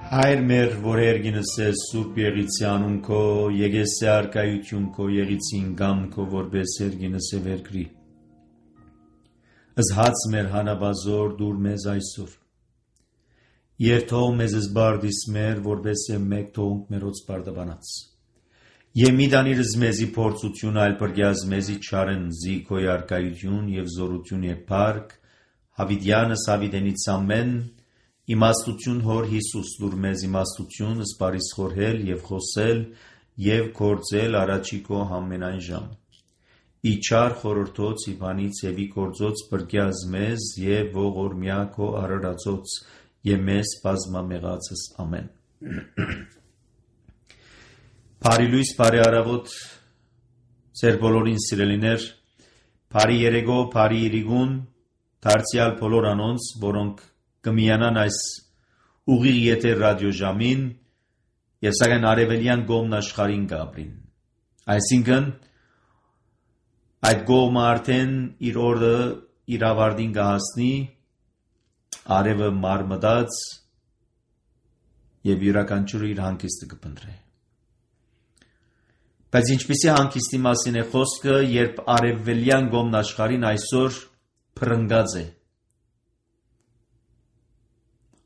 Հայր մեր, որ երգինս ես սուրբ եղիցի անուն քո, եկես է արկայություն քո, եղիցին գամ քո, որպես երգինս է վերգրի։ Զհաց մեր հանաբազոր դուր մեզ այսօր։ Երթող մեզ զբարդիս մեր, որպես է մեկ թողունք մերոց բարդաբանած։ Եմիդանիրս մեզի փորձություն այլ պրգյազ մեզի չարեն զի քո արկայություն և զորություն է պարկ, հավիդյանս հավիդենից ամեն, իմաստություն հոր Հիսուս լուր մեզ իմաստություն սպարիս խորհել և խոսել և կործել առաջի քո համենայն ժամ։ Իչար խորորդոց իբանից եվի կործոց պրգյազ մեզ և ողորմյա քո արարածոց և մեզ բազմամեղացս ամեն։ Բարի լույս, բարի առավոտ, ձեր բոլորին սիրելիներ, բարի երեգո, բարի իրիգուն, դարձյալ բոլոր անոնց, որոնք կմիանան այս ուղիղ եթեր ռադիոժամին և սակայն արևելյան կողմն աշխարհին կապրին։ Այսինքն այդ կողմը արդեն իր օրը իր ավարտին կհասնի, արևը մարմտած և յուրաքանչյուրը իր հանգիստը կփնտրի։ Բայց ինչպիսի հանգիստի մասին է խոսքը, երբ արևելյան կողմն աշխարհին այսօր փռնգած է։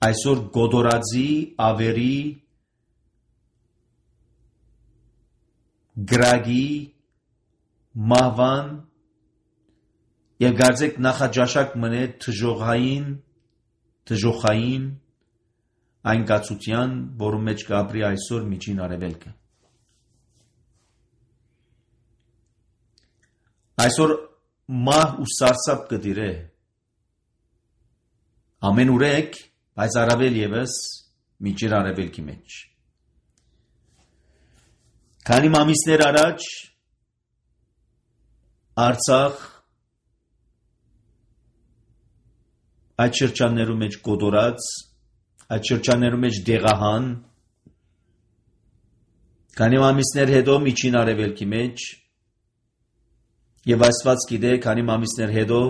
Այսօր գոդորածի, ավերի, գրագի, մահվան և գարձեք նախաջաշակ մնե թժոխային այն կացության, որում մեջ կապրի այսօր միջին արևելքը։ Այսօր մահ ու սարսափ կդիրե, ամեն ուրեք, բայց առավել ևս միջին արևելքի մեջ։ Քանի ամիսներ առաջ Արցախ այդ շրջաններում մեջ գոդորած, այդ շրջաններում մեջ դեղահան, քանի ամիսներ հետո միջին արևելքի մեջ և Աստված գիտե, քանի ամիսներ հետո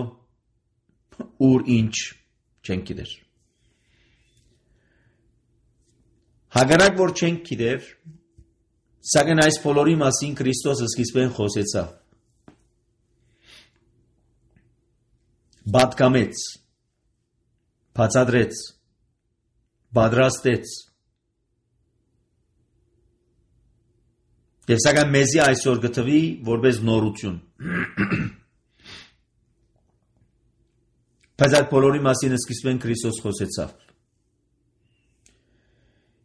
ուր ինչ չենք գիտեր։ Հակառակ որ չենք գիտեր, սակայն այս բոլորի մասին Քրիստոսը սկիզբեն խոսեցավ։ Պատկամեց, բացատրեց, պատրաստեց։ Եվ սակայն մեզի այսօր գտվի որպես նորություն։ Բայց այդ բոլորի մասին սկիզբեն Քրիստոս խոսեցավ։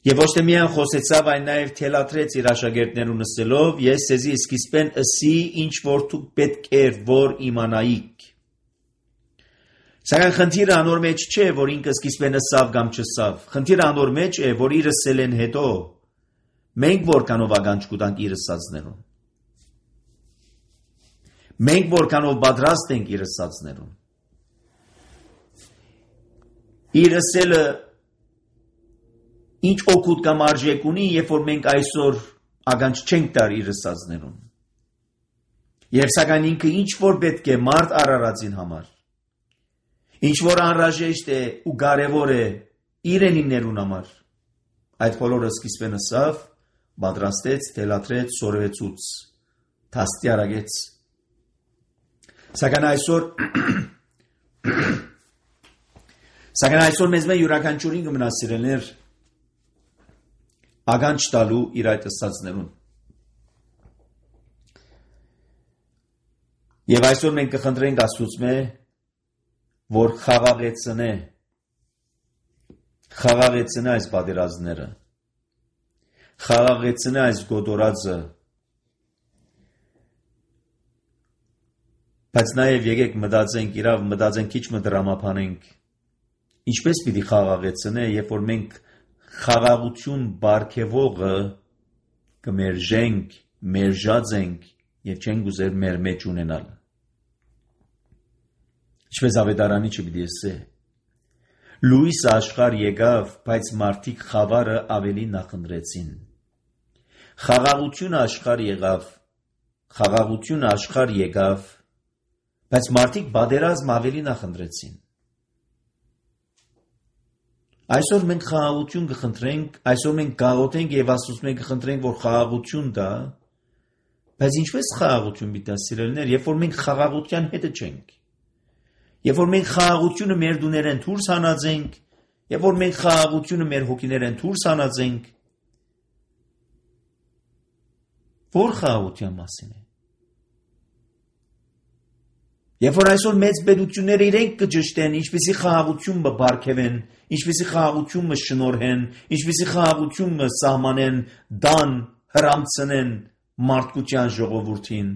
Եվ ոչ թե միայն խոսեցավ, այլ նաև թելադրեց իր աշակերտներուն ասելով, ես ձեզի սկիզբեն ըսի, ինչ որ դուք պետք էր որ իմանայիք։ Սակայն խնդիրը անոր մեջ չէ, որ ինքը սկիզբեն ըսավ կամ չըսավ։ Խնդիրը անոր մեջ է, որ իր ըսելեն հետո մենք որքանով ականջ կուտանք իր ըսածներուն։ Մենք որքանով պատրաստ ենք իր ըսածներուն։ Իր ըսելը ինչ օգուտ կամ արժեք ունի, երբ որ մենք այսօր ականջ չենք տար իր ըսածներուն։ Եվ սակայն ինքը ինչ որ պետք է մարդ արարածին համար, ինչ որ անհրաժեշտ է ու կարևոր է իրենիներուն համար, այդ բոլորը սկիզբեն ըսավ, պատրաստեց, թելադրեց, սորվեցուց, դաստիարակեց։ Սակայն այսօր մեզ մեն յուրաքանչյուրին կմնա սիրելիներ ականջ տալու իր այդ ըսածներուն։ Եվ այսօր մենք կխնդրենք Աստծուց որ խաղաղեցնե այս պատերազմները, խաղաղեցնե այս գոդորածը, բայց նաև եկեք մտածենք քիչ դրամափանենք, ինչպես պիտի խաղաղեցնե, երբ որ մենք խաղաղություն բարգևողը կմերժենք, մերժած ենք և չենք ուզեր մեր մեջ ունենալ։ Ինչպես ավետարանի չպիտի ասե, լույս աշխարհ եկավ, բայց մարդիկ խավարը ավելի նախընտրեցին։ Խաղաղությունը աշխարհ եկավ, բայց մարդիկ պատերազմ ավելի նախընտրեցին։ Այսօր մենք խաղաղություն կխնդրենք, այսօր մենք գաղութենք եւ Աստծուց կխնդրենք, որ խաղաղություն տա, բայց ինչպես խաղաղություն պիտի սիրելիներ, երբ որ մենք խաղաղության հետը չենք, երբ որ մենք խաղաղությունը մեր դուներեն դուրս հանածենք, երբ որ մենք խաղաղությունը մեր հոգիներեն դուրս հանածենք, որ խաղաղության մասին է։ Երբ որ այսօր մեծ պետությունները իրենք կճշտեն, ինչպեսի խաղաղություն բարգևեն, ինչպեսի խաղաղություն շնորհեն, ինչպեսի խաղաղություն սահմանեն, դան հրամցնեն մարդկության ժողովրդին։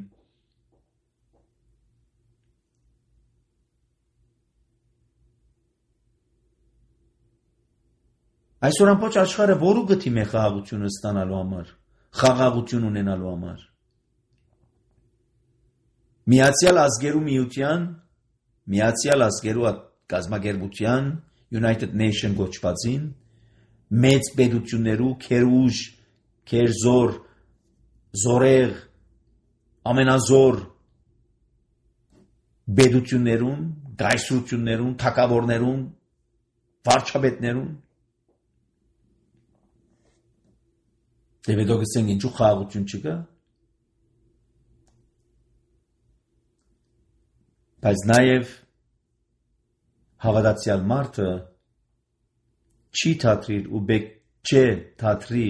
Այսօր ամբողջ աշխարհը որու գտիմ է խաղաղությունը ստանալու համար, խաղաղություն ունենալու համար։ Միացյալ ազգերու միության, Միացյալ ազգերու կազմակերպության, United Nation գոչվածին, մեծ պետություններու, քերուժ, քերզոր, զորեղ, ամենազոր պետություններուն, գայսրություններուն, թագավորներուն, վարչապետներուն, դեպի դոգսեն ինչու խաղաղություն չկա։ Բայց նաև հավատացյալ մարդը չի թատրիր ու բեք չէ թատրի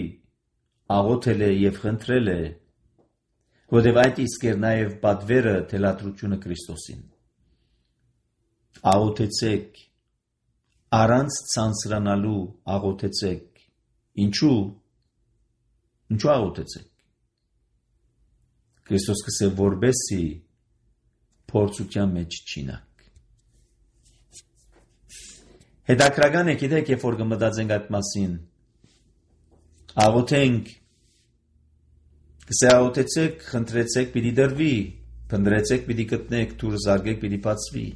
աղոթել է և խնդրել է, որտև այդ իսկ էր նաև պատվերը թելադրությունը Քրիստոսին։ Աղոթեցեք, առանց ցանցրանալու աղոթեցեք։ Ինչու աղոթեցեք։ Քրիստոս կսե որբեսի փորձության մեջ չինակ։ Հետաքրական է, գիտեք, երբ որ կմտածենք այդ մասին, աղոթենք, կսե աղոթեցեք, խնդրեցեք, պիտի դրվի, փնտրեցեք, պիտի գտնեք, դուր զարգեք, պիտի բացվի։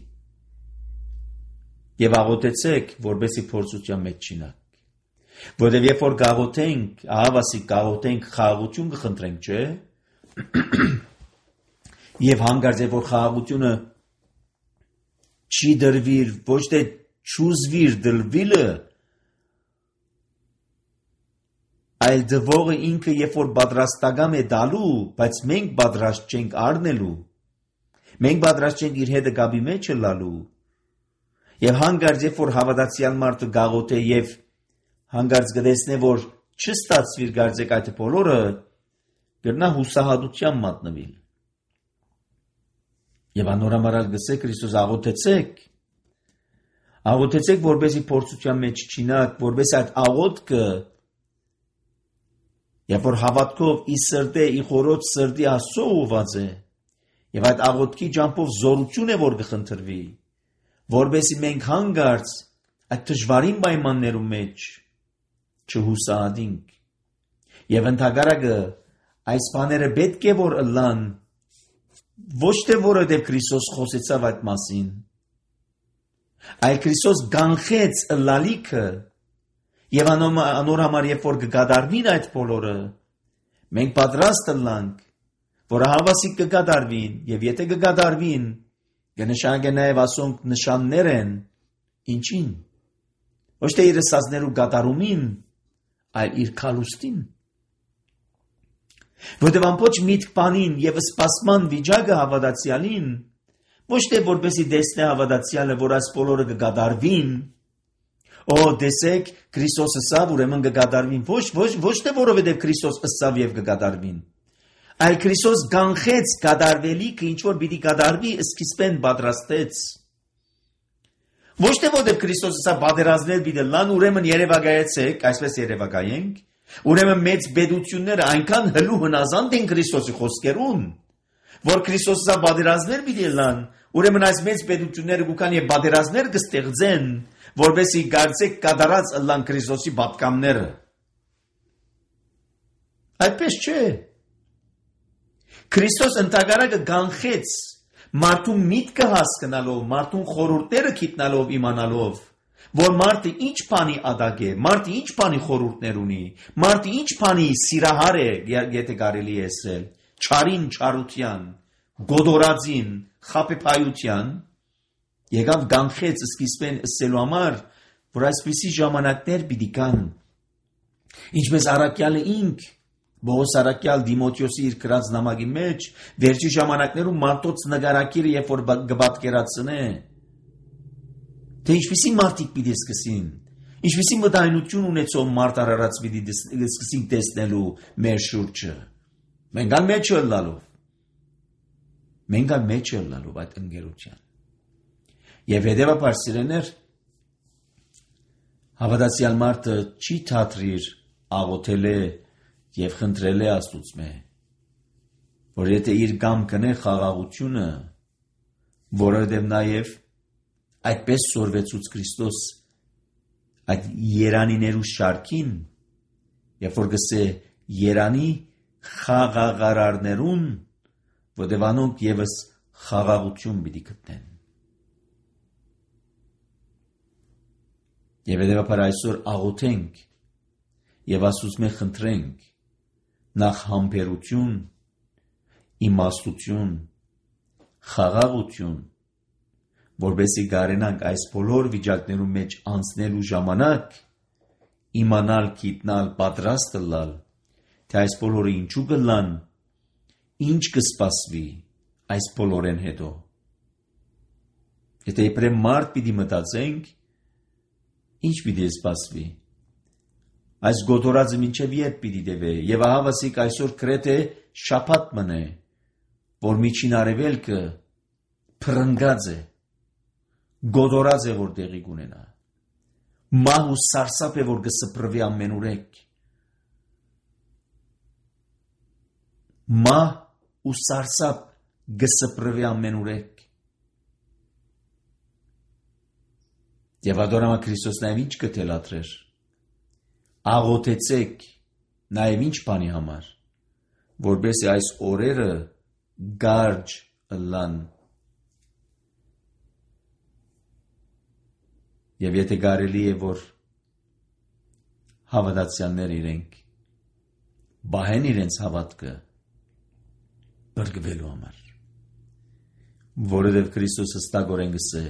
Եվ աղոթեցեք, որբեսի փորձության մեջ չինակ։ Որտև երբ որ գաղոթենք, ահավասիկ գաղոթենք, խաղաղություն կխնդրենք, չէ՞։ Եվ հանգարց է, որ խաղաղությունը չի դրվիր, ոչ թե չուզվիր դրվիլը, այլ դվողը ինքը երբ որ պատրաստական է դալու, բայց մենք պատրաստ չենք առնելու, մենք պատրաստ չենք իր հետը գաբի մեջ լալու, եւ հանգարց երբ որ հավատացյալ մարդը գաղոթե եւ հանգարց գտեսնե, որ չստացվիր գարձեք այդ բոլորը, գրնա հուսահատության մատնվիլ։ Եվ անորամարալ գսե Քրիստոս աղոթեցեք, որբեսի փորձության մեջ չինակ, որբեսի այդ աղոթքը, երբ որ հավատքով ի սրտե, ի խորոց սրտի Աստծո ուղված է, եւ այդ աղոթքի ջամփով զորություն է, որ կխնդրվի, որբեսի մենք հանգարց այդ դժվարին պայմաններում մեջ չհուսահատենք։ Եվ ընդհակառակը այս բաները պետք է որ ըլլան, ոչ թե որովհետև Քրիստոս խոսեցավ այդ մասին, այլ Քրիստոս գանխեց ըլլալիքը, եւ անոր համար երբ որ կգադարվին այդ բոլորը, մենք պատրաստ ըլլանք, որ հավասիկ կգադարվին, եւ եթե կգադարվին, կնշանակե նաեւ ասոնք նշաններ են, ինչին, ոչ թե իր ասածներու գադարումին, այլ իր քալուստին։ Որտև ամբողջ միտք բանին եւ սպասման վիճակը հավատացյալին, ոչ թե որպեսի դեսնե հավատացյալը, որ այս բոլորը կգադարվին, դեսեք Քրիստոսը սավ, ուրեմն կգադարվին, ոչ թե որովհետև Քրիստոս ըսավ եւ կգադարվին, այլ Քրիստոս գանխեց գադարվելիքը, ինչ որ պիտի գադարվի, սկիզբեն պատրաստեց։ Ոչ թե որովհետև Քրիստոսը սա պատերազմներ պիտի լան, ուրեմն երևակայեցեք, այսպես երևակայենք, ուրեմն մեծ պետությունները այնքան հլու հնազանդ են Քրիստոսի խոսքերուն, որ Քրիստոսը սա պատերազմներ պիտի լան, ուրեմն այս մեծ պետությունները գուքան եւ պատերազմներ կստեղծեն, որովհետեւ գարցեք կատարած ըլլան Քրիստոսի պատկամները։ Այդպես չէ։ Քրիստոս ընդհակառակը գանխեց մարդուն միտքը հասկանալով, մարդուն խորհուրդները գիտնալով, իմանալով, որ մարդը ինչ բանի ադակ է, մարդը ինչ բանի խորհուրդներ ունի, մարդը ինչ բանի սիրահար է, եթե կարելի է ասել, չարին չարության, գոդորածին, խաբեբայության, եկավ գանխեց սկիզբեն ասելու համար, որ այսպիսի ժամանակներ պիտի կան, ինչպես առաքյալը ինք, Բողոս առաքյալ Դիմոթեոսի իր գրած նամակի մեջ, վերջի ժամանակներում մարդոց նկարակիրը երբ որ կպատկերացնե, թե ինչպիսի մարդիկ պիտի սկսին, ինչպիսի մտայնություն ունեցող մարդ արարած պիտի սկսին տեսնելու մեր շուրջը, մենք ալ մեջ ելնալով այդ ընկերության։ Եվ հետևաբար սիրեներ, հավատացյալ մարդը չի թատրիր աղոթել է և խնդրել է Աստուծմե, որ եթե իր կամքն է խաղաղությունը, որովհետև նաև այդպես սորվեցուց Քրիստոս այդ երանիներու շարքին, երբ որ գսե երանի խաղաղարարներուն, որտև անոնք ևս խաղաղություն պիտի գտնեն։ Եվ հետևաբար այսօր աղոթենք և Աստուծմե խնդրենք նախ համբերություն, իմաստություն, խաղաղություն, որպեսզի կարենանք այս բոլոր վիճակներու մեջ անցնելու ժամանակ իմանալ, գիտնալ, պատրաստ լալ, թե այս բոլորը ինչու կլան, ինչ կսպասվի այս բոլորեն հետո։ Եթե իբրև մարդ պիտի մտածենք, ինչ պիտի սպասվի։ Այս գոտորածը մինչև երբ պիտի տևե, եւ ահա վասիկ այսօր գրեթե շաբաթ մնե, որ միջին արևելքը փրկած է, գոտորած է, որ տեղի կունենա։ Մահ ու սարսափ է, որ կսփռվի ամենուրեք։ Մահ ու սարսափ կսփռվի ամենուրեք։ Եվ ադորամա Քրիստոս նաև ինչ կթելադրեր։ Աղոթեցեք նաև ինչ բանի համար, որպեսզի այս օրերը գարջ լան։ Եվ եթե կարելի է, որ հավատացյալներ իրենք բահեն իրենց հավատքը բրգվելու համար, որովհետև Քրիստոս հստակորեն գսե,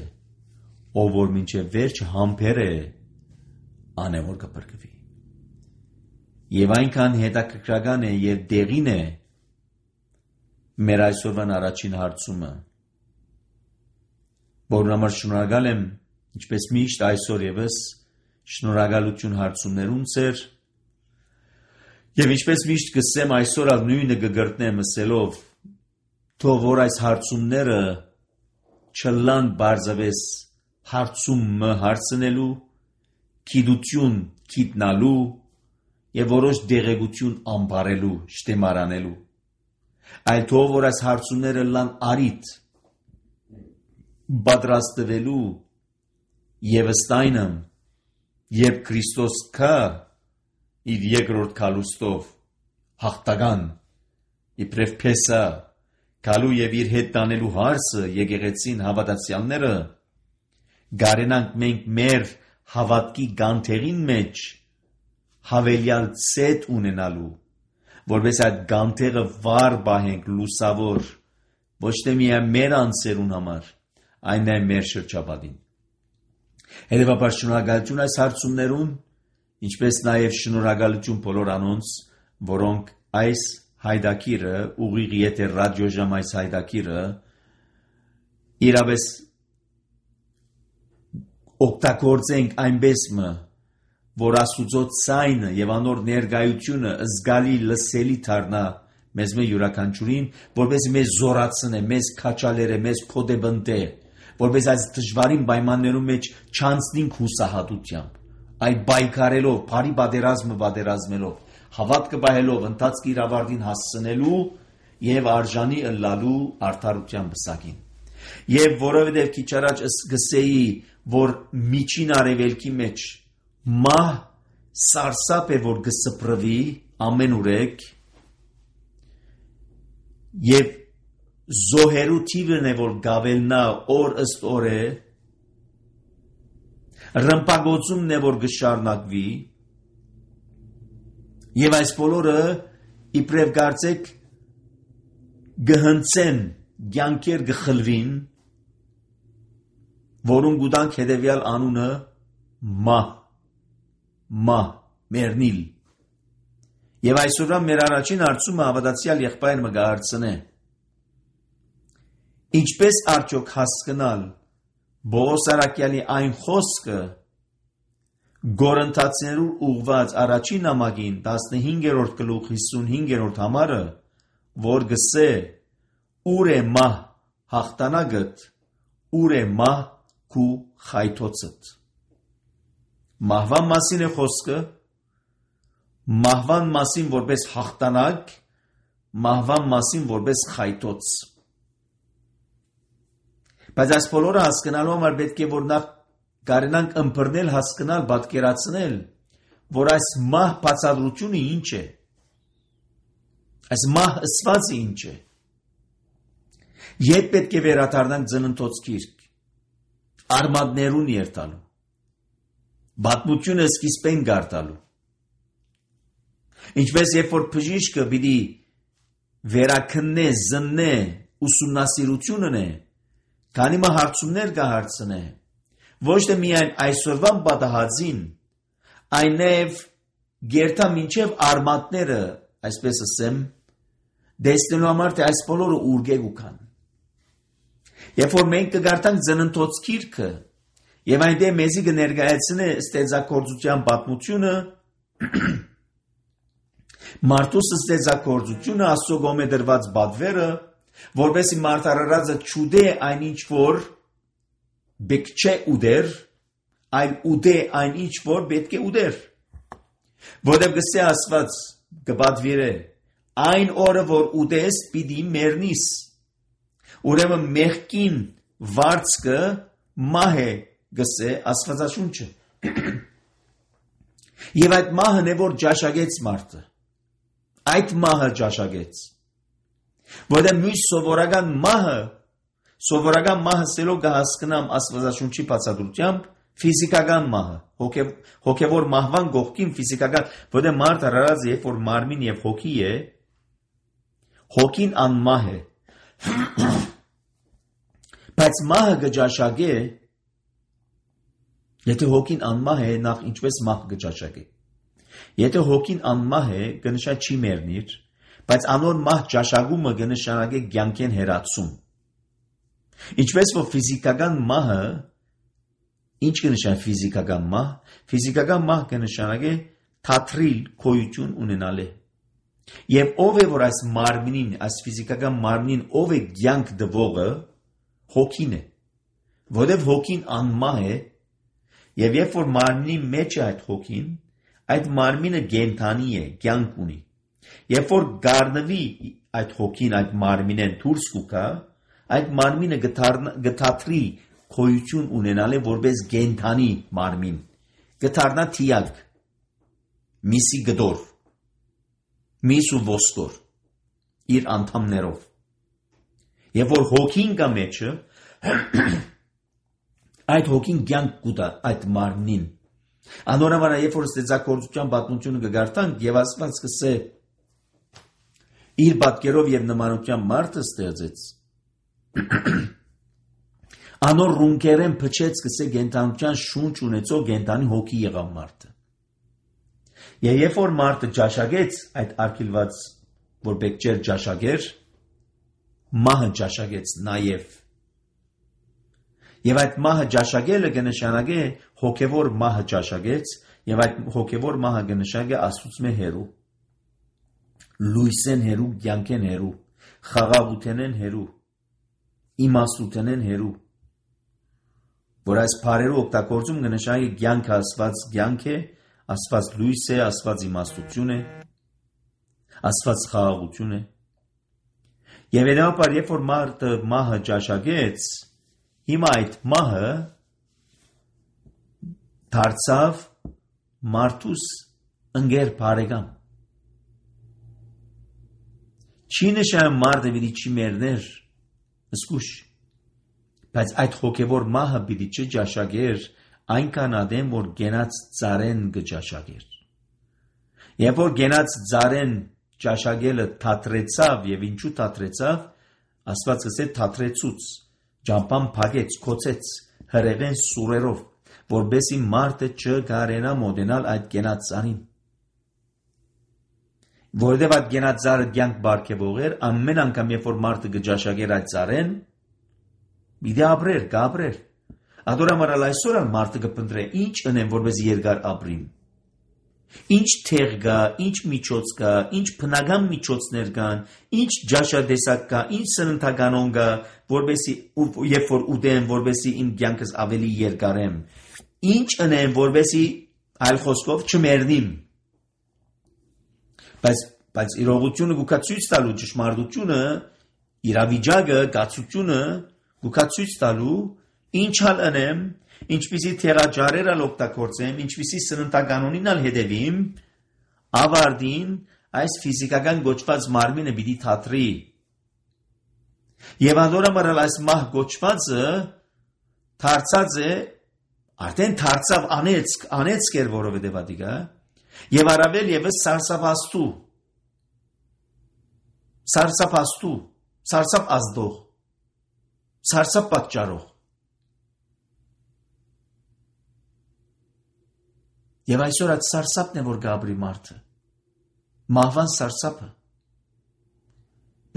ով որ մինչև վերջ համբեր է, անե որ կբրգվի։ Եվ այնքան հետաքրքրական է և դեղին է մեր այսօրվան առաջին հարցումը, որն համար շնորհակալ եմ, ինչպես միշտ այսօր ևս շնորհակալություն հարցումներուն ծեր, և ինչպես միշտ կսեմ այսօր ալ նույնը կգրտնեմ ասելով, թող որ այս հարցումները չլան բարձավես հարցումը հարցնելու, գիտություն գիտնալու և որոշ դեղեցություն ամբարելու, շտեմարանելու, այլ թող որ այս հարցումները լան արիթ պատրաստվելու և ըստայնը, երբ Քրիստոս կա իր երկրորդ քալուստով հաղթական, իբրև փեսա, գալու և իր հետ տանելու հարսը եկեղեցին հավատացյալները, գարենանք մենք մեր հավատքի գանթերին մեջ հավելյալ ցետ ունենալու, որպես այդ գանթերը վար բահենք լուսավոր, ոչ թե միայն մեր անձերուն համար, այն է մեր շրջապատին։ Հետևաբար շնորհակալություն այս հարցումներուն, ինչպես նաև շնորհակալություն բոլոր անոնց, որոնք այս հայդակիրը, ուղիղ եթեր ռադիոժամ այս հայդակիրը, իրապես օգտագործենք այնպես մը, որ Աստուծո ցայնը եւ անոր ներկայությունը զգալի լսելի դառնա մեզ մե յուրաքանչյուրին, որպես մեզ զորացնե, մեզ քաչալերը, մեզ փոդեբնտե, որպես այս դժվարին պայմաններում մեջ չանցնենք հուսահատությամբ, այլ բայկարելով, բարի պատերազմելով, հավատքը պահելով, ընթացքի իր ավարտին հասցնելու եւ արժանի ըլլալու արդարության բսակին։ Եվ որովհետեւ քիչ առաջ գսեի, որ միջին արևելքի մեջ մահ սարսափ է, որ կսփռվի ամենուրեք եւ զոհերու թիվն է, որ գավելնա օր ըստ օր է, ռմբագործումն է, որ կշարունակվի եւ այս բոլորը իբրև կարծեք գհնցեն կյանքեր գխլվին, որուն գուտանք հետևյալ անունը մահ, մեռնիլ։ Եվ այսօրվա մեր առաջին հարցումը հավատացյալ եղբայրը մը գահարցնե. ինչպես արդյոք հասկանալ Պողոս առաքյալի այն խոսքը Գորընթացիներու ուղված առաջին նամակին 15-րդ գլուխ 55-րդ համարը, որ գսե ուր է մահ հաղթանակդ, ուր է մահ քու խայթոցդ։ Մահվան մասին է խոսքը, մահվան մասին որպես հաղթանակ, մահվան մասին որպես խայթոց։ Բայց այս բոլորը հասկանալու համար պետք է որ նախ կարենանք ըմբռնել, հասկանալ, պատկերացնել, որ այս մահ բացատրությունը ինչ է, այս մահ ըսվածը ինչ է։ Ետ պետք է վերադառնանք ծննդոց գիրք, արմատներուն երթալու, պատմությունը սկիզբեն գարտալու։ Ինչպես երբ որ բժիշկը պիտի վերաքննե, զննե, ուսումնասիրությունն է, քանի մը հարցումներ կհարցնե, ոչ թե միայն այսօրվան պատահածին, այն նաև գերտա մինչև արմատները, այսպես ասեմ, դեսնելու համար թե այս բոլորը ուրգեգ ու կան։ Երբ որ մենք կգարտանք ծննդոց գիրքը, եւ այնտեղ մեզի կներկայացնե ստեղծագործության պատմությունը, մարդու ստեղծագործությունը, Աստծո կողմէ դրված պատվերը, որովհետեւ մարդարարածը չուդե այնինչ որ պետք չէ ուդեր, այլ ուդե այնինչ որ պետք է ուդեր։ Որովհետեւ գսե Աստված կպատվիրե, այն օրը որ ուդես պիտի մեռնիս։ Ուրեմն մեղքին վարձքը մահ է, գսե Աստվածաշունչը։ Եվ այդ մահն է որ ճաշակեց մարդը։ Այդ մահը ճաշակեց։ Որովհետև մյուս սովորական մահը սելով կհասկանամ Աստվածաշունչի բացատրությամբ ֆիզիկական մահը, հոգևոր մահվան կողքին ֆիզիկական, որովհետև մարդ արարած երբ որ մարմին եւ հոգի է, հոգին անմահ է։ Բայց մահը կճաշակե, եթե հոգին անմահ է, նախ ինչպես մահ կճաշակե։ Եթե հոգին անմահ է, կնշա չի մեռնիր, բայց անոր մահ ճաշակումը կնշանակե կյանքեն հեռացում։ Ինչպես որ ֆիզիկական մահը, ինչ կնշանակե ֆիզիկական մահ, ֆիզիկական մահ կնշանակե թատրիլ գոյություն ունենալը։ Եվ ով է որ այս մարմնին, այս ֆիզիկական մարմնին ով է կյանք տվողը, հոգին է, որովհետև հոգին անմահ է, եւ երբ որ մարմնի մեջ է այդ հոգին, այդ մարմինը կենդանի է, կյանք ունի։ Երբ որ գառնվի այդ հոգին այդ մարմինեն դուրս կուքա, այդ մարմինը գթատրի գոյություն ունենալը որպես կենդանի մարմին, գթարնա թիակ, միսի գդոր, միս ու ոսկոր, իր անդամներով։ Եվ որ հոգին կա մեջը, այդ հոգին կյանք կուտա այդ մարմնին։ Անորոմանա երբ որ ստեղծագործության պատմությունը կգարտանք եւ Աստված կսե իր պատկերով եւ նմանությամբ մարդը ստեղծեց, անոր ռունկերեն փչեց կսե գենտանության շունչ ունեցող գենտանի հոգի եղավ մարդը։ Եվ երբ որ մարդը ճաշակեց այդ արգելված, որ պետք չէր ճաշակեր, մահը ճաշակեց նաև։ Եվ այդ մահը ճաշակելը կնշանակե հոգևոր մահը ճաշակեց, եւ այդ հոգևոր մահը կնշանակե Աստծո հերու, լույսեն հերու, կյանքեն հերու, խաղաղութենեն հերու, իմաստութենեն հերու, որ այս բառերը օգտագործում կնշանակի կյանքը Աստված կյանք է, Աստված լույս է, Աստված իմաստություն է, Աստված խաղաղություն է։ Եվ հետո երբ որ մարդը մահը ճաշակեց, հիմա այդ մահը դարձավ մարդուս ընկեր բարեկամ։ Չի նշանակում մարդը պիտի չի մեռներ, զգուշ, բայց այդ հոգևոր մահը պիտի չճաշակեր այնքան ադեմ, որ գենաց ծարեն կճաշակեր։ Երբ որ գենաց ծարեն ճաշակելը թատրեցավ եւ ինչու թատրեցավ, Աստված ասե թատրեցուց, ճամփան փակեց, կոծեց, հրեղեն սուրերով, որբեսի մարդը չկարենա մոտենալ այդ կենաց ծառին։ Որովհետև այդ կենաց ծառը կյանք բարգեւող էր, ամեն անգամ երբ որ մարդը կճաշակեր այդ ծառեն, պիտի ապրեր, կապրեր։ Ադորամարալ այսօր մարդը կփնտրե ինչ ընեմ, որպես երկար ապրին։ Ինչ թեղ կա, ինչ միջոց կա, ինչ բնական միջոցներ կան, ինչ ջաշադեսակ կա, ինչ սննդականոն կա, որբեսի երբ որ ուտեմ, որբեսի իմ կյանքս ավելի երկարեմ։ Ինչ ընեմ, որբեսի այլ խոսքով չմեռնիմ։ Բայց իրողությունը գուքա ցույց տալու ճշմարտությունը, իրավիճակը, կացությունը գուքա ցույց տալու ինչ հալ ընեմ, ինչպիսի թերաջարեր ալ օգտագործեմ, ինչպիսի սննդականոնին ալ հետևիմ, ավարտին այս ֆիզիկական գոչված մարմինը պիտի թատրի։ Եվ անդորամարալ այս մահ գոչվածը դարձած է, արդեն դարձավ անեցք էր, որովհետև ադիգա, եւ առավել եւս սարսափաստու, սարսափ ազդող, սարսափ պատճառող։ Եվ այսօր այդ սարսափն է, որ գաբրի մարդը, մահվան սարսափը։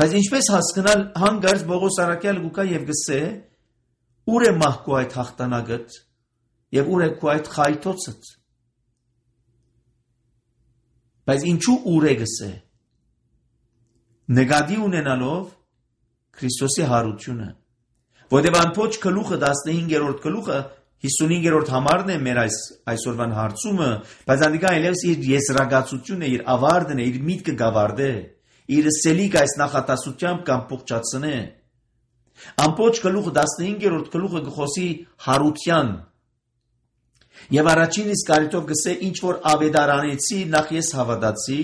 Բայց ինչպես հասկանալ հանգարց Պողոս առաքյալը գուկա եւ գսե, ուր է մահկու այդ հաղթանակդ եւ ուր է քու այդ խայթոցդ։ Բայց ինչու ուր է գսե։ Նկատի ունենալով Քրիստոսի հարությունը, որտեղ ամբողջ գլուխը 15-րդ գլուխը 55-րդ համարն է մեր այսօրվան հարցումը, բայց անդիկա այլևս իր եզրակացությունը, իր ավարտն է, իր միտքը գավարդե, իր սելիկ այս նախատասությամբ կամ փոխչացնե։ Ամբողջ գլուխը 15-րդ գլուխը գխոսի հարության։ Եվ առաջին իսկ կարիթով գսե ինչ որ ավետարանեցի նախ ես հավատացի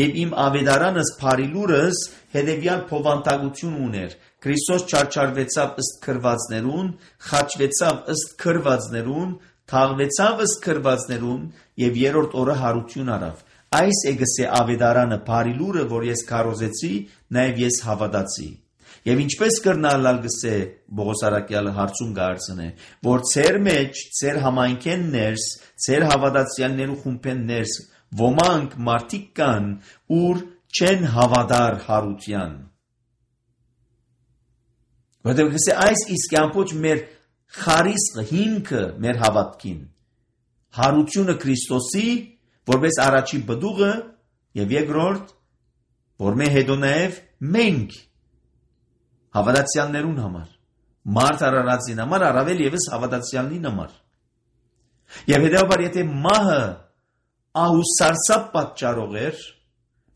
եւ իմ ավետարանս փարիլուրս հետեւյալ փոխանցություն ուներ Քրիստոս չարչարվեցավ ըստ քրվածներուն, խաչվեցավ ըստ քրվածներուն, թաղվեցավ ըստ քրվածներուն եւ երրորդ օրը հարություն արավ։ Այս է գսե ավետարանը փարիլուրը, որ ես քարոզեցի, նաեւ ես հավատացի։ Եվ ինչպես կրնալալ գսե Պողոս առաքյալը հարցում գարցնե, որ ծեր մեջ, ծեր համայնքեն ներս, ծեր հավատացյալներու խումբեն ներս, ոմանք մարդիկ կան, ուր չեն հավատար հարության։ Որտեղ գսե այս իսկ ամբողջ մեր խարիսկը, հիմքը մեր հավատքին, հարությունը Քրիստոսի, որպես առաջի բդուղը, եւ երկրորդ, որ մեր հետո նաեւ մենք հավատացյալներուն համար, մարդ արարածին համար, առավել եւս հավատացյալին համար։ Եվ հետեւաբար եթե մահը ահուսարսափ պատճառող էր,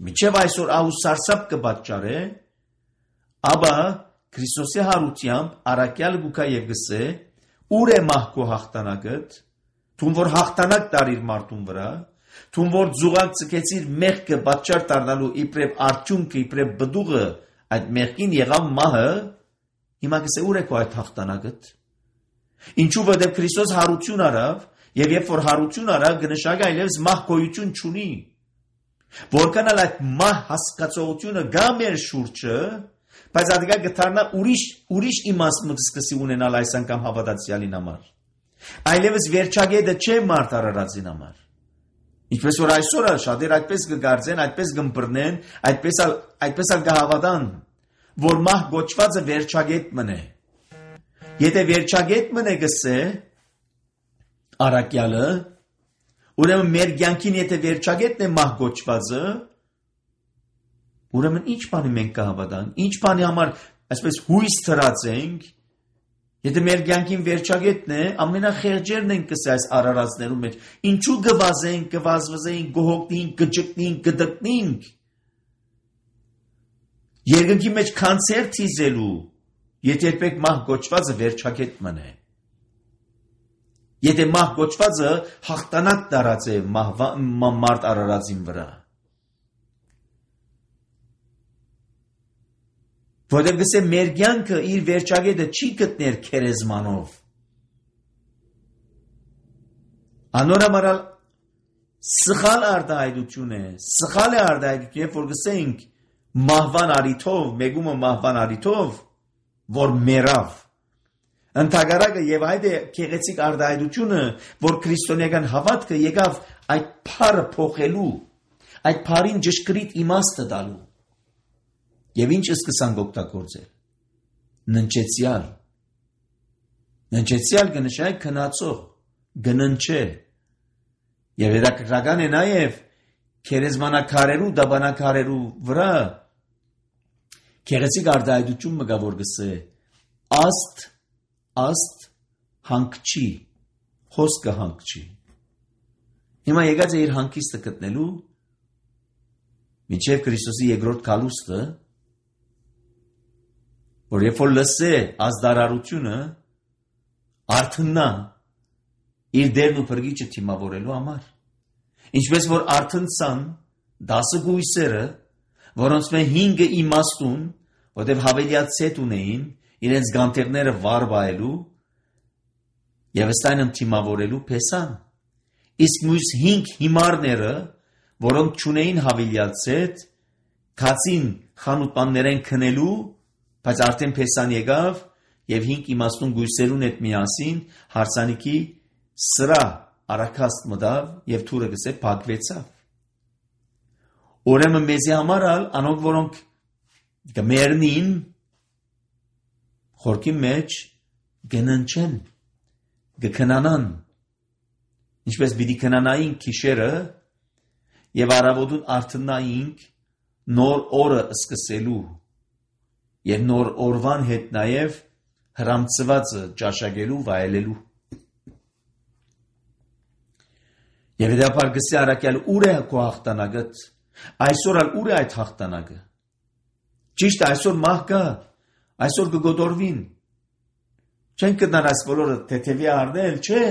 մինչև այսօր ահուսարսափ կպատճառե, ապա Քրիստոսի հարությամբ առաքյալ գուքա եւ գսե, ուր է մահկու հաղթանակդ, թուն որ հաղթանակ տարիր մարդուն վրա, թուն որ ձուղակ ցկեցիր մեղքը պատճառ դառնալու իբրև արդյունքը, իբրև բդուղը այդ մեղքին եղավ մահը, հիմա գսե ուր է քո այդ հաղթանակդ։ Ինչու որտեղ Քրիստոս հարություն արավ, եւ երբ որ հարություն արավ, կնշանակի այլևս մահ գոյություն չունի։ Որքան էլ այդ մահ հասկացողությունը գա մեր շուրջը, բայց ադիգա գտարնա ուրիշ իմաստ սկսի ունենալ այս անգամ հավատացյալին համար։ Այլևս վերջագետը չէ մարդ արարածին համար։ Ինչպես որ այսօր շատեր այդպես կգարձեն, այդպես կմբռնեն, այդպես էլ կհավատան, որ մահ գոչվածը վերջագետ մնե։ Եթե վերջագետ մնե գսե առաքյալը, ուրեմն մեր կյանքին եթե վերջագետն է մահ գոչվածը, ուրեմն ինչ բանի մենք կհավատանք, ինչ բանի համար այսպես հույս դրած ենք, եթե մեր կյանքին վերջագետն է, ամենախեղճերն ենք կսե այս արարածներու մեջ, ինչու գվազենք, գվազվզենք, գոհոգնենք, գջկնենք, գդկնենք, երկնքի մեջ կանցերտ հիզելու, եթե երբեք մահ գոչվածը վերջագետ մնե։ Եթե մահ գոչվածը հաղթանակ դարած է մարդ արարածին վրա։ Որտեղ գսե մեր կյանքը իր վերջագետը չի գտներ քերեզմանով։ Անորամարալ սխալ արտահայտություն է, սխալ է արտահայտություն, երբ որ գսենք մահվան արիթով, մեգումը մահվան արիթով, որ մեռավ։ Ընթագարակը եւ այդ է քեղեցիկ արտահայտությունը, որ քրիստոնեական հավատքը եկավ այդ փառը փոխելու, այդ փառին ճշգրիտ իմաստը տալու։ Եվ ինչ սկսանք օգտագործել։ Ննչեցյալ կնշանակի քնածող, գննչե։ Եվ հետաքրքրական է նաև քերեզմանակարերու, դաբանակարերու վրա քեղեցիկ արտահայտություն մգա որ գսե աստ հանգչի, խոսքը հանգչի։ Հիմա եկած է իր հանգիստը գտնելու մինչև Քրիստոսի երկրորդ գալուստը, որ երբ որ լսե ազդարարությունը արթնա իր դերն ու փրկիչը թիմավորելու համար։ Ինչպես որ արթնցան 10 գույսերը, որոնց մե 5-ը իմաստուն, որտեղ հավելյացետ ունեին իրենց գանթերները վար բայելու եւ ըստայն թիմավորելու փեսան։ Իսկ մյուս 5 հիմարները, որոնք չունեին հավելյացետ, քացին խանութաններեն քնելու, բայց արդեն փեսան եկավ եւ 5 իմաստուն գույսերուն հետ միասին հարսանիքի սրա արաքաստ մտավ եւ թուրը գսե փակվեցավ։ Ուրեմն մեզի համար անոնք որոնք գմերնին խորքի մեջ գննչեն, գքնանան, ինչպես պիտի քնանային քիշերը եւ առավոտուն արթնայինք նոր օրը սկսելու եւ նոր օրվան հետ նաեւ հրամցվածը ճաշակելու վայելելու։ Եվ դեպար գսի արակյալ ուր է քո հաղթանակդ, այսօր ուր է այդ հաղթանակը։ Ճիշտ այսօր մահ կա, այսօր կգոդորվին։ Չեն կդնար այս բոլորը թեթևի արդել, չէ։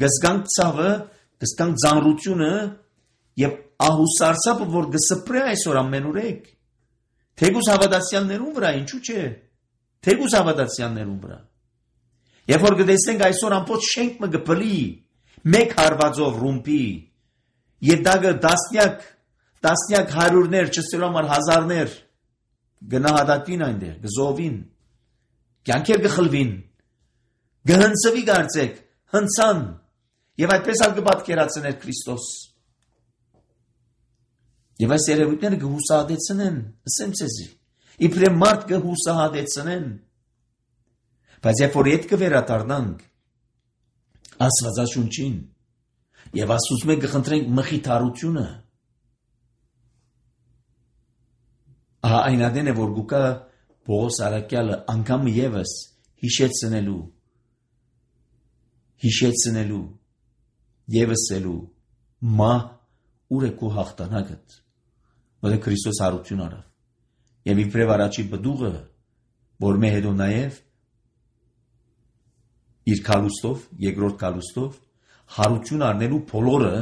Գսկանք ցավը, գսկանք ձանրությունը եւ ահուսարսապը, որ գսպրե այսօր ամենուրեք։ Թեգուս հավատացյալներուն վրա, ինչու՞ չէ։ Թեգուս հավատացյալներուն վրա։ Երբ որ գտեսնենք այսօր ամբողջ շենք մը գպլի, մեկ հարվածով ռումպի, եւ դա տասնյակ հարյուրներ, չսելու համար հազարներ գնահատատվին այնտեղ, գզովին, կյանքեր գխլվին, գհնցվի կարծեք, հնցան, եւ այդպես ալ կպատկերացներ Քրիստոս։ Եվ այս երևույթները կհուսահատեցնեն, ասեմ ցեզի, իբրև մարդ կհուսահատեցնեն, բայց երբ որ ետ կվերադառնանք Աստվածաշունչին եւ Աստծուց մենք կխնդրենք մխիթարությունը, այնադեն է որ գուկա Պողոս արաքյալը անգամ եւս հիշեցնելու եւսելու մահ ուր է քո հաղթանակդ, որ Քրիստոս հարություն արավ եւ իբրև առաջի բդուղը, որ մե հետո նաեւ իր կալուստով, երկրորդ կալուստով հարություն առնելու բոլորը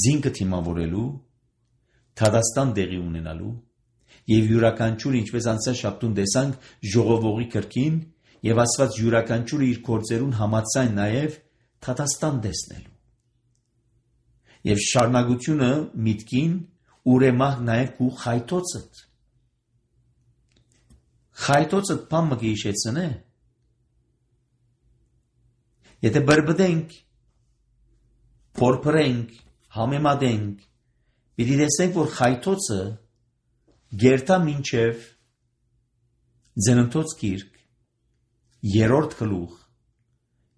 զինքը թիմավորելու, թադաստան դեղի ունենալու եւ յուրաքանչյուրը ինչպես անցած շաբթուն տեսանք ժողովողի կրկին եւ Աստված յուրաքանչյուրը իր գործերուն համացայն նաեւ թադաստան տեսնելու եւ շարունակությունը միտքին ուրեմահ նաեւ քու խայտոցդ բամը գիշեցնե։ Եթե բրբդենք, փորփրենք, համեմատենք, պիտի տեսնենք, որ խայթոցը գերտա մինչև Ձենընթոց գիրք, 3-րդ գլուխ,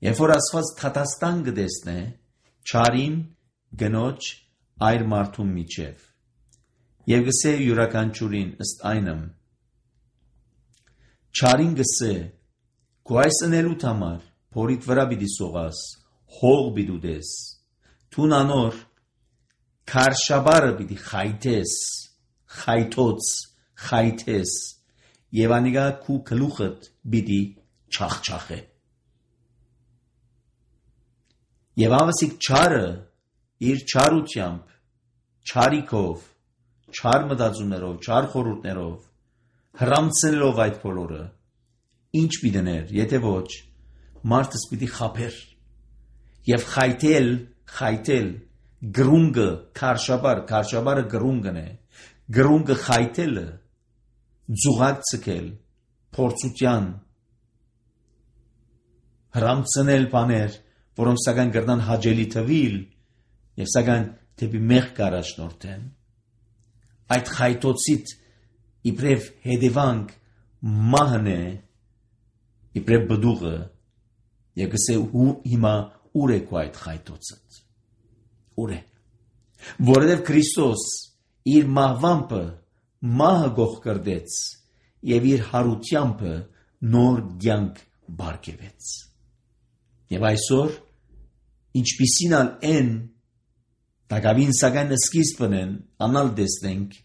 երբ որ Աստված թատաստան կտեսնե չարին գնոջ այր մարդու միջև, եւ գսե յուրաքանչյուրին ըստ այնմ, չարին գսե քո այս ընելուտ համար փորիդ վրա պիտի սողաս, հող պիտի ուտես, թուն անոր քարշաբարը պիտի խայթես, եւ անիգա քու գլուխդ պիտի չախչախե։ Եվ ավասիկ չարը իր չարությամբ, չարիքով, չար մտածումներով, չար խորհուրդներով, հրամցնելով այդ բոլորը, ինչ պիտներ, եթե ոչ, մարդս պիտի խափեր եւ խայթել գրունգը քարշաբարը գրունգն է, գրունգը խայթելը ձուղակ ցկել փորձության հրամցնել բաներ, որոնք սակայն կրնան հաճելի թվիլ եւ սակայն դեպի մեղք առաջնորդեն, այդ խայտոցից իբրև հետևանք մահն է, իբրև բդուղը, եւ կսե հիմա ուր է քո այդ խայտոցը, ուր է, որովհետեւ Քրիստոս իր մահվամբը մահը գող կրդեց եւ իր հարությամբ նոր կյանք բարգեւեց։ Եվ այսօր ինչպիսին են Դակավին սակայն սկիզբն են անալ տեսնենք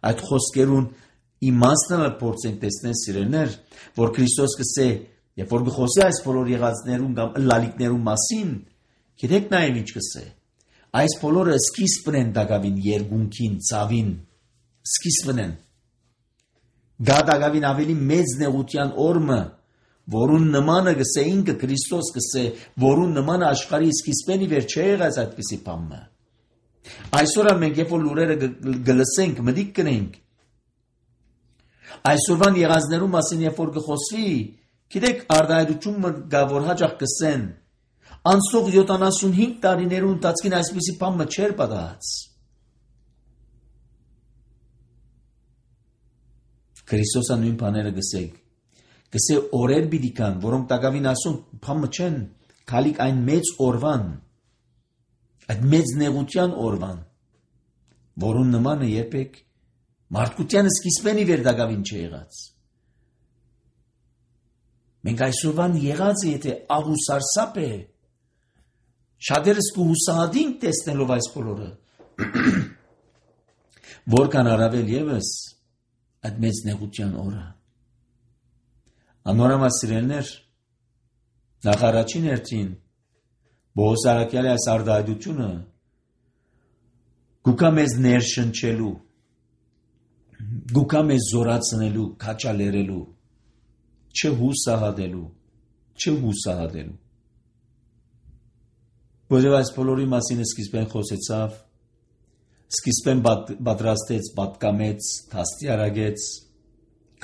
այդ խոսքերուն իմաստն փորձենք տեսնել սիրելիներ, որ Քրիստոս կսե եւ որ գխոսի այս բոլոր եղածներուն կամ լալիկներուն մասին, գիտեք նաեւ ինչ կսե։ Այս բոլորը սկիզբն են Դակավին երկունքին, ցավին, սկիզբն են։ Դա Դակավին ավելի մեծ նեղության օրը, որուն նմանը կսե ինքը Քրիստոս կսե, որուն նմանը աշխարհի սկիզբենի վեր չէ եղած այդպիսի բանը։ Այսօր մենք երբ որ լուրերը գլսենք, մտիկ կնենք։ Այսօրվան եղածներու մասին երբ որ գխոսվի, գիտեք արդայդությունը գա որ հաջող կսեն։ Անցող 75 տարիներու ընթացքին այսպիսի բան չէր պատահած։ Քրիստոսը նույն բաները գսեք։ Գսե օրեր պիտի կան, որոնք Դակավին ասում բանը չեն, քալիք այն մեծ օրվան։ Այդ մեծ նեղության օրվան, որուն նմանը երբեք մարդկությանը սկիզբենի վեր Դակավին չեղած։ Մենք այսօրվան եղած է, եթե աղուսարսապ է, շատերս կհուսահատինք տեսնելով այս բոլորը, որքան առավել ևս այդ մեծ նեղության օրը։ Անորամաս սիրելիներ, նախ առաջին հերթին Բողոս Արաքյալի այս արդայդությունը գուկա մեզ ներշնչելու, գուկա մեզ զորացնելու, քաչալերելու, չհուսահատելու։ Որովհետև այս բոլորի մասին սկիզբեն խոսեցավ, սկիզբեն պատրաստեց, պատկամեց, թաստիարակեց,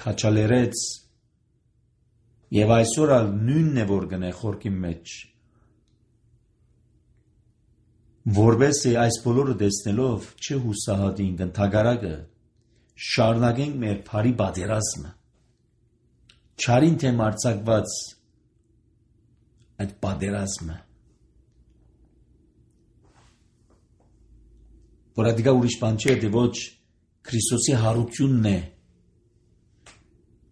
քաչալերեց, եւ այսօր ալ նույնն է որ գնե խորքի մեջ։ Որբեսի այս բոլորը տեսնելով չհուսահատենք ընդհակառակը շարունակենք մեր բարի պատերազմը չարին թեմ արձակված այդ պատերազմը որ ադիգա ուրիշ բան չէ դե ոչ Քրիստոսի հարությունն է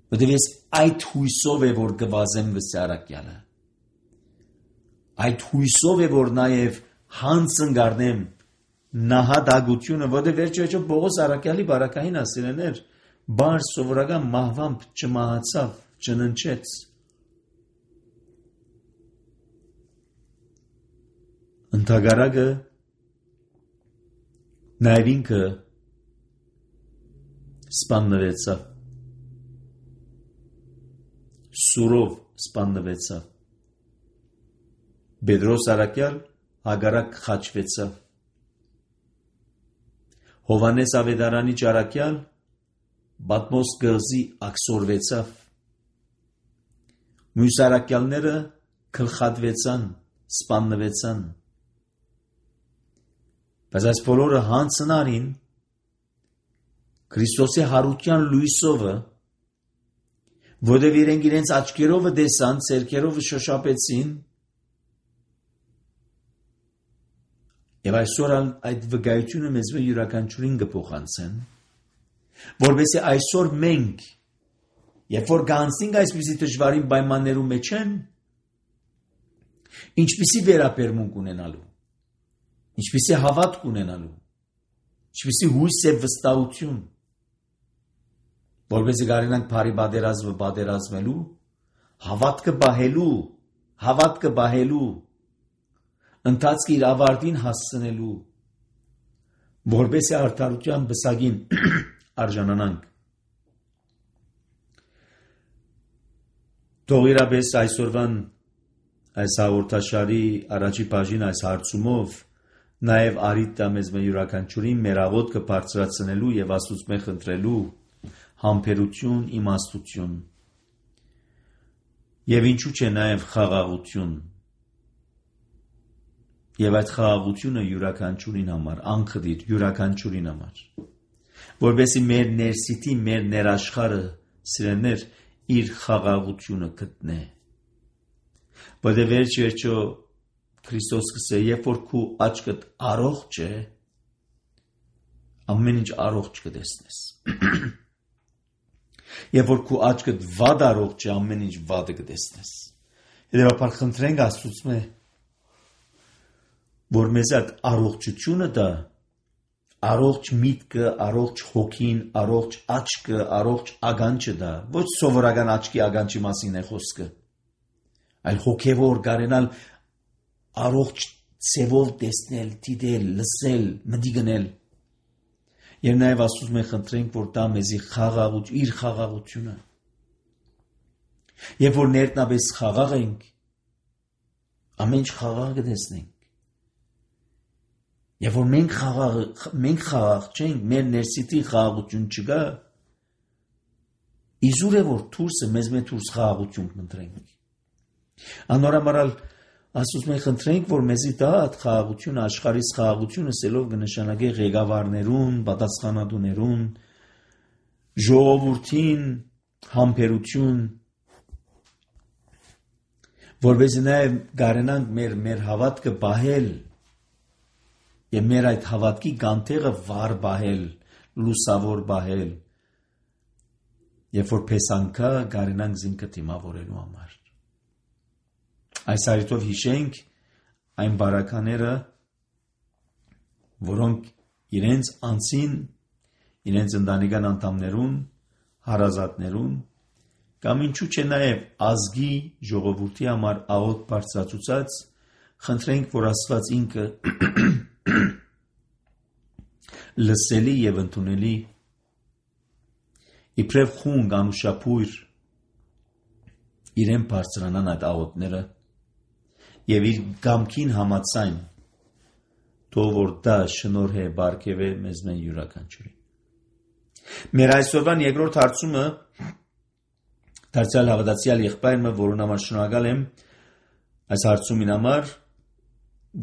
որտեղ ես այդ հույսով է որ գվազեմ վսարակյալը այդ հույսով է որ նաև հանցն գարնեմ նահատագությունը, որտեղ վերջը Բողոս Արաքյալի բարակային ասիրեներ, բար սովորական մահվամբ չմահացավ, չննչեց։ Ընդհակառակը նաև ինքը սպաննվեցավ, սուրով սպաննվեցավ։ Պետրոս Արաքյալ հագարակ խաչվեցավ։ Հովանես Ավետարանի ճարակյալ Բատմոս գղզի աքսորվեցավ։ Մյուս արաքյալները գլխատվեցան, սպաննվեցան։ Բայց այս բոլորը հանցնարին Քրիստոսի հարության լույսովը, որտեղ իրենց աչքերովը տեսան, ցերկերովը շոշափեցին, եւ այսօր այդ վկայությունը մեզ յուրաքանչյուրին կփոխանցեն, որովհետեւ այսօր մենք, երբ որ գանցնենք այսպիսի դժվարին պայմաններու մեջ են, ինչպիսի վերաբերմունք ունենալու, ինչպիսի հավատք ունենալու, ինչպիսի հույս եւ վստահություն, որովհետեւ կարենանք բարի պատերազմելու, հավատքը բահելու, ընթացքի իր ավարտին հասցնելու, որպեսզի արդարության բսակին արժանանանք։ Թող իրապես այսօրվան այս հաղորդաշարի առաջի բաժին այս հարցումով նաև արիտ տա մեզ յուրաքանչյուրին մեր աղոթքը բարձրացնելու եւ Աստծուց խնդրելու համբերություն, իմաստություն Եվ ինչու՞ չէ նաև խաղաղություն։ Եվ այդ խաղաղությունը յուրաքանչյուրին համար, անխտիր յուրաքանչյուրին համար, որովհետեւ մեր ներսիտի, մեր ներաշխարհը սիրելիներ իր խաղաղությունը գտնե։ Որովհետեւ վերջո Քրիստոս ասել է, երբ որ քու աչքդ առողջ է, ամեն ինչ առողջ կտեսնես։ Երբ որ քու աչքդ վատ առողջ է, ամեն ինչ վատը կտեսնես։ Հետևաբար խնդրենք Աստծուց որ մեզ այդ առողջությունը դա, առողջ միտքը, առողջ հոգին, առողջ աչքը, առողջ ագանչը դա, ոչ սովորական աչքի ագանչի մասին է խոսքը, այլ հոգևոր կարենալ առողջ ցևով տեսնել, դիտել, լսել, մտի գնել։ Եվ նաև Աստծուց մենք խնդրենք, որ դա մեզի իր խաղաղությունը։ Երբ որ ներտնաբես խաղաղ ենք, ամեն ինչ խաղաղ կտեսնենք։ Եվ որ մենք խաղաղ չենք, մեր ներսիտի խաղաղություն չկա, իզուր է որ դուրսը մեզ դուրս խաղաղություն կընտրենք։ Անորամարալ Աստծուց մենք խնդրենք, որ մեզի դա այդ խաղաղությունը, աշխարհից խաղաղությունը սելով կնշանակի ղեկավարներուն, պատասխանատուներուն, ժողովրդին համբերություն, որովհետեւ նաև կարենանք մեր հավատքը պահել եւ մեր այդ հավատքի կանթեղը վառ պահել, լուսավոր պահել, երբ որ փեսանքա կարենանք զինքը դիմավորելու համար։ Այս հարցով հիշենք այն բարակաները, որոնք իրենց անձին, իրենց ընտանեկան անդամներուն, հարազատներուն, կամ ինչու՞ չէ նաև ազգի ժողովրդի համար աղոտ բարձրացուցած, խնդրենք, որ Աստված ինքը լսելի եւ ընդունելի իբրև խունգ անուշապույր իրեն բարձրանան այդ աղոտները եւ իր գամքին համացայն թող որ դա շնորհե բարգեւե մեզ մեն յուրաքանչյուրին։ Մեր այսօրվան երկրորդ հարցումը դարձյալ հավատացյալ եղբայրը, որուն համար շնորհակալ եմ այս հարցումին համար,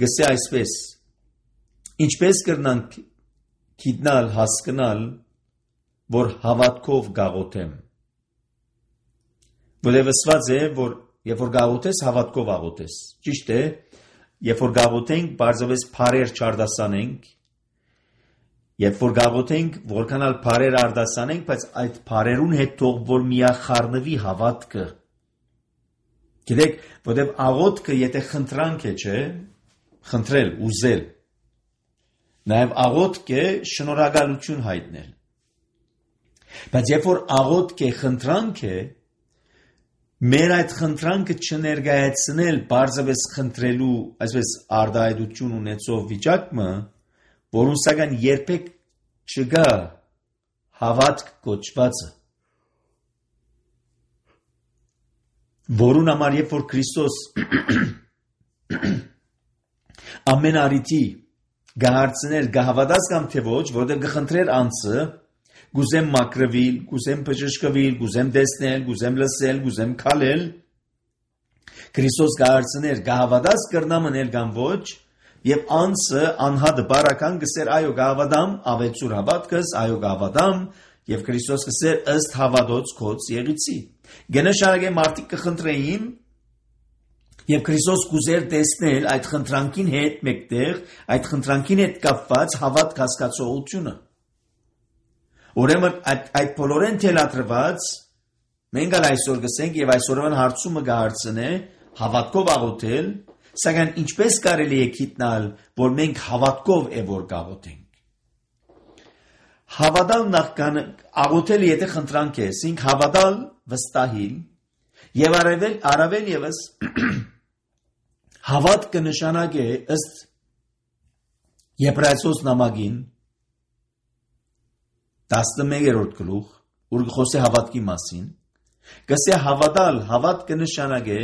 գսե այսպես. ինչպես կրնանք գիտնալ, հասկանալ, որ հավատքով գաղութեմ։ Որովհետև ասված է, որ երբ որ գաղութես, հավատքով աղոթես։ Ճիշտ է, երբ որ գաղութենք, բարձրապես բարեր չարդասանենք, երբ որ գաղութենք, որքանալ բարեր արդասանենք, բայց այդ բարերուն հետ թող որ միախառնվի հավատքը։ Գիտեք, որովհետև աղոթքը եթե խնդրանք է, չէ, խնդրել, ուզել, նաև աղոթք է շնորհակալություն հայտնել։ Բայց երբ որ աղոթք է խնդրանք է, մեր այդ խնդրանքը չներկայացնել բարձրապես խնդրելու, այսպես արդայդություն ունեցող վիճակը, որուն սակայն երբեք չկա հավատք կոչվածը, որուն համար երբ որ Քրիստոս ամեն առիթի գահարցներ գահավատաց կամ թե ոչ, որտեղ գխնդրեր անձը, գուզեմ մակրվիլ, գուզեմ բժշկվիլ, գուզեմ տեսնել, գուզեմ լսել, գուզեմ քալել, Քրիստոս գահարցներ գահավատաց կրնա մնել կամ ոչ, եւ անձը անհատը բարական գսեր այո գահավատամ, ավեցուր հավատքս, այո գահավատամ, եւ Քրիստոս գսեր ըստ հավատոց քոց եղիցի։ Գնաշարագե մարդիկ կխնդրեին Եվ Քրիստոս կուզեր տեսնել այդ խնդրանքին հետ մեկտեղ, այդ խնդրանքին հետ կապված հավատք հասկացողությունը։ Ուրեմն այդ բոլորեն թելադրված, մենք այսօր գսենք եւ այսօրվան հարցումը կհարցնե հավատքով աղոթել, սակայն ինչպես կարելի է գիտնալ, որ մենք հավատքով է որ կաղոթենք։ Հավատալ նախքան աղոթելը եթե խնդրանք է, ասենք հավատալ վստահիլ եւ առավել եւս հավատքը նշանակ է ըստ Եբրայեցոս նամակին 11-րդ գլուխ, ուր խոսե հավատքի մասին, գսե հավատալ, հավատքը նշանակ է